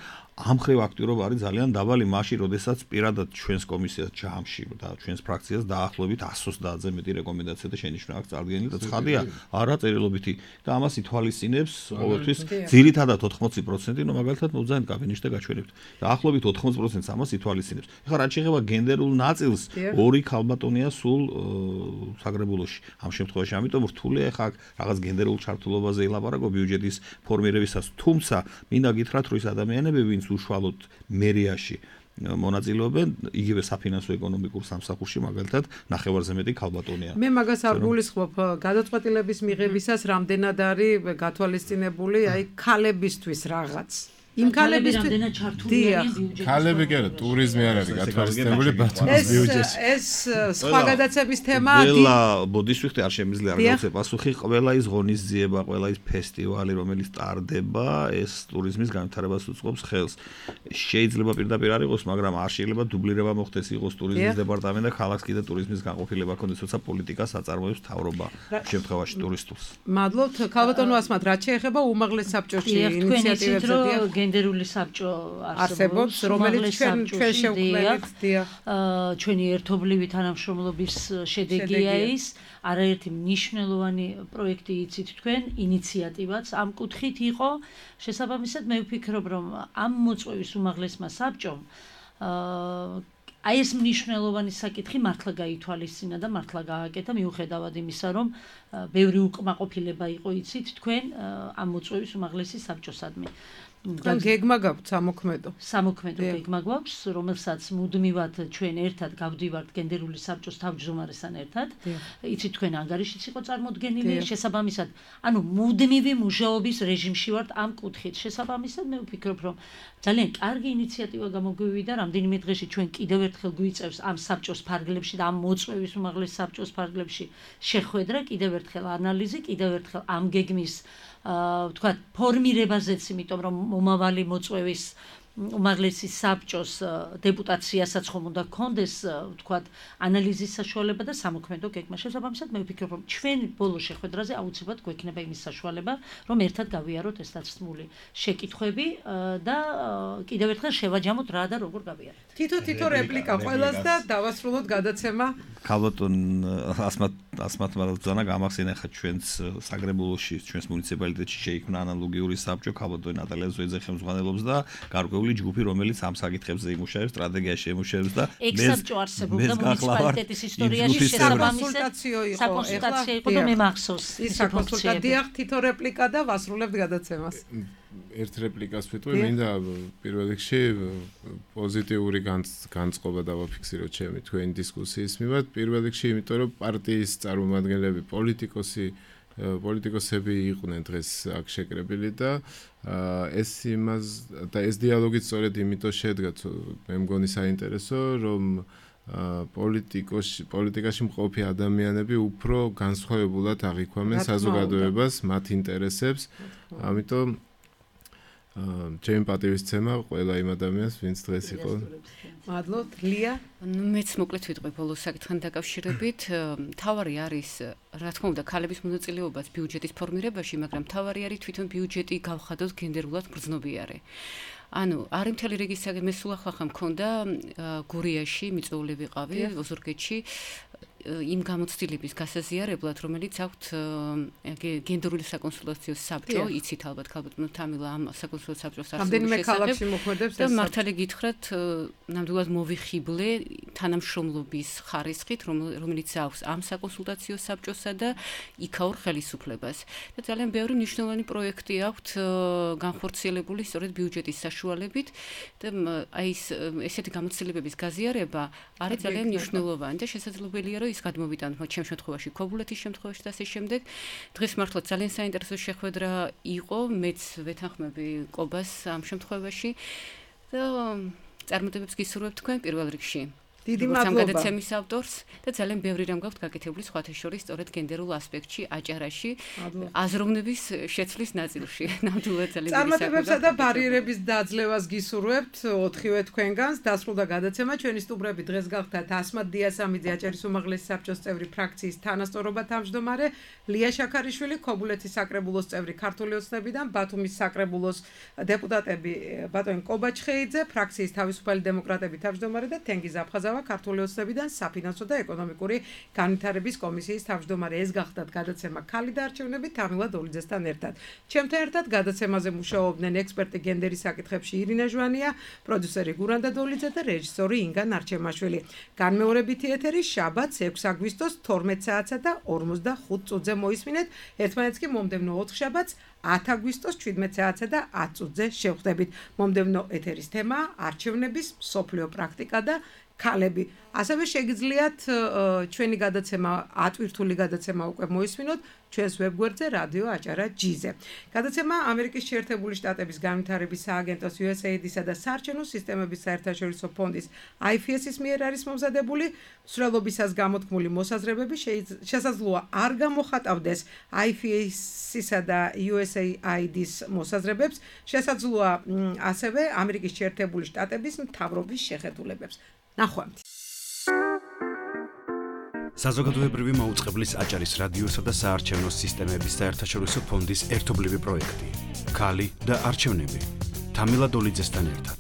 ამ ხრივ აქტიურობა არის ძალიან დაბალი მაშინ, როდესაც პირადად ჩვენს კომისიას ჯამში და ჩვენს ფრაქციას დაახლოებით εκατს ოცდაათზე მეტი რეკომენდაცია და შენიშვნა აქვს წარდგენილი და ცხადია, არა წერილობითი და ამას ითვალისწინებს ყოველთვის ძირითადად ოთხმოცი პროცენტი, ნუ მაგალითად მოგზავნეთ კაბინეტში და გაჩვენებთ. დაახლოებით ოთხმოცი პროცენტს ამას ითვალისწინებს. ეხლა რაც შეეხება გენდერულ ნაწილს, ორი ქალბატონია სულ საკრებულოში. ამ შემთხვევაში ამიტომ რთულია ეხლა რაღაც გენდერულ ჩართულობაზე ელაპარაკო ბიუჯეტის ფორმირებისას. თუმცა მინდა გითხრათ, რომ ის ადამიანები, ვინც უშუალოდ მერიაში მონაწილეობენ, იგივე საფინანსო ეკონომიკურ სამსახურში, მაგალითად, ნახევარზე მეტი ქალბატონია. მე მაგას არ გულისხმობ, გადაწყვეტილების მიღებისას რამდენად არის გათვალისწინებული, აი ქალებისთვის რაღაც. იმ ქალებისთვის რამდენად ჩართული არიან ბიუჯეტის ქალები კი არა, ტურიზმი არ არის გათვალისწინებული ბათუმის ბიუჯეტში. ეს სხვა გადაცემის თემაა. ყველა ბოდიშვიხტი არ შემიძლია არ გავცე პასუხი, ყველა ის ღონისძიება, ყველა ის ფესტივალი, რომელიც ტარდება, ეს ტურიზმის განვითარებას უწყობს ხელს. შეიძლება პირდაპირ არ იყოს, მაგრამ არ შეიძლება დუბლირება მოხდეს, იყოს ტურიზმის დეპარტამენტი და ქალაქს კიდე ტურიზმის განყოფილება ქონდეს, თორსა პოლიტიკას აწარმოებს მთავრობა შემთხვევაში ტურისტულს. მადლობთ, ქალბატონო ასმათ, რაც შეეხება უმაღლეს საბჭოში ინიციატივებს და გენდერული საბჭო არსებობს, რომელიც ჩვენ ჩვენ შევქმნით, დიახ. ჩვენი ერთობლივი თანამშრომლობის შედეგია ის, არაერთი მნიშვნელოვანი პროექტი იცით თქვენ, ინიციატივაც ამ კუთხით იყო. შესაბამისად, მე ვფიქრობ, რომ ამ მოწვევის უმაღლესმა საბჭომ აი ეს მნიშვნელოვანი საკითხი მართლა გაითვალისწინა და მართლა გააკეთა, მიუხედავად იმისა, რომ ბევრი უკმაყოფილება იყო იცით თქვენ ამ მოწვევის უმაღლესი საბჭოსადმი. და გეგმა გაქვთ სამოქმედო. სამოქმედო გეგმა გვაქვს, რომელსაც მუდმივად ჩვენ ერთად გავდივართ გენდერული საბჭოს თავმჯდომარესთან ერთად. იცით თქვენ ანგარიშიც იყო წარმოდგენილი, შესაბამისად, ანუ მუდმივი მუშაობის რეჟიმში ვართ ამ კუთხით. შესაბამისად, მე ვფიქრობ, რომ ძალიან კარგი ინიციატივა გამოგვივიდა, რამდენიმე დღეში ჩვენ კიდევ ერთხელ გვიწევს ამ საბჭოს ფარგლებში და ამ მოწვევის უმაღლეს საბჭოს ფარგლებში შეხვედრა, კიდევ ერთხელ ანალიზი, კიდევ ერთხელ ამ გეგმის თქვა ფორმირებაზეც, იმიტომ რომ მომავალი მოწვევის უმაღლესი საბჭოს დეპუტაციასაც ხომ უნდა გქონდეს თქვა ანალიზის საშუალება და სამოქმედო გეგმა. შესაბამისად, მე ვფიქრობ, რომ ჩვენ ბოლო შეხვედრაზე აუცილებლად გვექნება იმის საშუალება, რომ ერთად გავიაროთ ეს დაცმული შეკითხვები და კიდევ ერთხელ შევაჯამოთ რა და როგორ გავიაროთ. თითო-თითო რეპლიკა ყველას და დავასრულოთ გადაცემა. ქალბატონ ასმათ ასმათ მალძანა გამახსენა ხა ჩვენს საგრებულოში, ჩვენს მუნიციპალიტეტში შეიქმნა ანალოგიური საბჭო, ქალბატონ ნატალია ზოიძე ხელმძღვანელობს და გარკვეული ჯგუფი, რომელიც ამ საკითხებზე იმუშავებს, სტრატეგიაში იმუშავებს და ექსაბჭო არსებობდა მუნიციპალიტეტის ისტორიაში შესაბამისად საკონსულტაციო იყო და მე მახსოვს ის საკონსულტაციო. დიახ, თითო რეპლიკა და ვასრულებთ გადაცემას. ერთ რეპლიკას ვიტყვი, მინდა პირველ რიგში პოზიტიური განწყობა დავაფიქსიროთ ჩემი თქვენი დისკუსიის მიმართ. პირველ რიგში, იმიტომ რომ პარტიის წარმომადგენლები, პოლიტიკოსი პოლიტიკოსები იყვნენ დღეს აქ შეკრებილი და ეს იმას და ეს დიალოგი სწორედ იმიტომ შედგა, მე მგონი საინტერესო, რომ პოლიტიკოში პოლიტიკაში მყოფი ადამიანები უფრო განსხვავებულად აღიქვამენ საზოგადოებას, მათ ინტერესებს, ამიტომ ჩემი პატივისცემა ყველა იმ ადამიანს, ვინც დღეს იყო. მადლობთ, ლია. ნუ მეც მოკლედ ვიტყვი ბოლოს საკითხთან დაკავშირებით. თავარი არის, რა თქმა უნდა, ქალების მონაწილეობაც ბიუჯეტის ფორმირებაში, მაგრამ თავარი არის თვითონ ბიუჯეტი გავხადოთ გენდერულად გრძნობიარე. ანუ არის მთელი რიგი საკითხი, მე სულ ახლა მქონდა გურიაში, მიწვეული ვიყავი, ოზურგეთში. იმ გამოცდილების გასაზიარებლად, რომელიც აქვთ გენდერული საკონსულტაციო საბჭო, იცით ალბათ ქალბატონო თამილა ამ საკონსულტაციო საბჭოს არსებობს და მართალი გითხრათ, ნამდვილად მოვიხიბლე თანამშრომლობის ხარისხით, რომელიც აქვს ამ საკონსულტაციო საბჭოსა და იქაურ ხელისუფლებას. და ძალიან ბევრი მნიშვნელოვანი პროექტი აქვთ განხორციელებული სწორედ ბიუჯეტის საშუალებით და აი ეს ესეთი გამოცდილებების გაზიარება არის ძალიან მნიშვნელოვანი და შესაძლებელია, რომ ის გადმოვიტანოთ მათ ჩემ შემთხვევაში, ქობულეთის შემთხვევაში და ასე შემდეგ. დღეს მართლა ძალიან საინტერესო შეხვედრა იყო, მეც ვეთანხმები კობას ამ შემთხვევაში და წარმატებებს გისურვებ თქვენ პირველ რიგში. დიდი მადლობა გადაცემის ავტორს და ძალიან ბევრი რამ გაქვთ გაკეთებული სხვათა შორის სწორედ გენდერულ ასპექტში, აჭარაში, აზროვნების შეცვლის ნაწილში. ნამდვილად ძალიან დიდი წარმატებებსა და ბარიერების დაძლევას გისურვებთ ოთხივე თქვენგანს. დასრულდა გადაცემა. ჩვენი სტუმრები დღეს გახდათ ასმათ დიასამიძე, აჭარის უმაღლესი საბჭოს წევრი, ფრაქციის თანასწორობა თავმჯდომარე, ლია შაქარიშვილი, ქობულეთის საკრებულოს წევრი, ქართული ოცნებიდან, ბათუმის საკრებულოს დეპუტატები ბატონი კობაჩხეიძე, ფრაქციის თავისუფალი დემოკრატები თავმჯდომარე და თენგიზ აფხაზა ქართული ოცნებიდან საფინანსო და ეკონომიკური განვითარების კომისიის თავმჯდომარე. ეს გახდათ გადაცემა ქალი და არჩევნები თამილა დოლიძესთან ერთად. ჩემთან ერთად გადაცემაზე მუშაობდნენ ექსპერტი გენდერის საკითხებში ირინა ჟვანია, პროდიუსერი გურანდა დოლიძე და რეჟისორი ინგა ნარჩემაშვილი. განმეორებითი ეთერი შაბათს ექვსი აგვისტოს თორმეტ საათსა და ორმოცდახუთ წუთზე მოისმინეთ. ერთმანეთს კი მომდევნო ოთხ შაბათს ათი აგვისტოს შვიდმეტ საათსა და ათი წუთზე შევხვდებით. მომდევნო ეთერის თემაა არჩევნების მსოფლიო პრაქტიკა და ქალები. ასევე შეგიძლიათ ჩვენი გადაცემა, ატვირთული გადაცემა უკვე მოისმინოთ ჩვენს ვებგვერდზე რადიო აჭარა ჯი-ზე. გადაცემა ამერიკის შეერთებული შტატების განვითარების სააგენტოს იუ ეს ეი აი-დისა და საარჩევნო სისტემების საერთაშორისო ფონდის აი ეფ ეს-ის მიერ არის მომზადებული. მსვლელობისას გამოთქმული მოსაზრებები შესაძლოა არ გამოხატავდეს აი ეფ ეს-ისა და იუ ეს ეი აი-დის მოსაზრებებს, შესაძლოა ასევე ამერიკის შეერთებული შტატების მთავრობის შეხედულებებს. ნახვამთ. საზოგადოებრივი მაუწყებლის აჭარის რადიოსა და საარჩევნო სისტემების საერთაშორისო ფონდის ერთობლივი პროექტი. ქალი და არჩევნები. თამილა დოლიძესთან ერთად.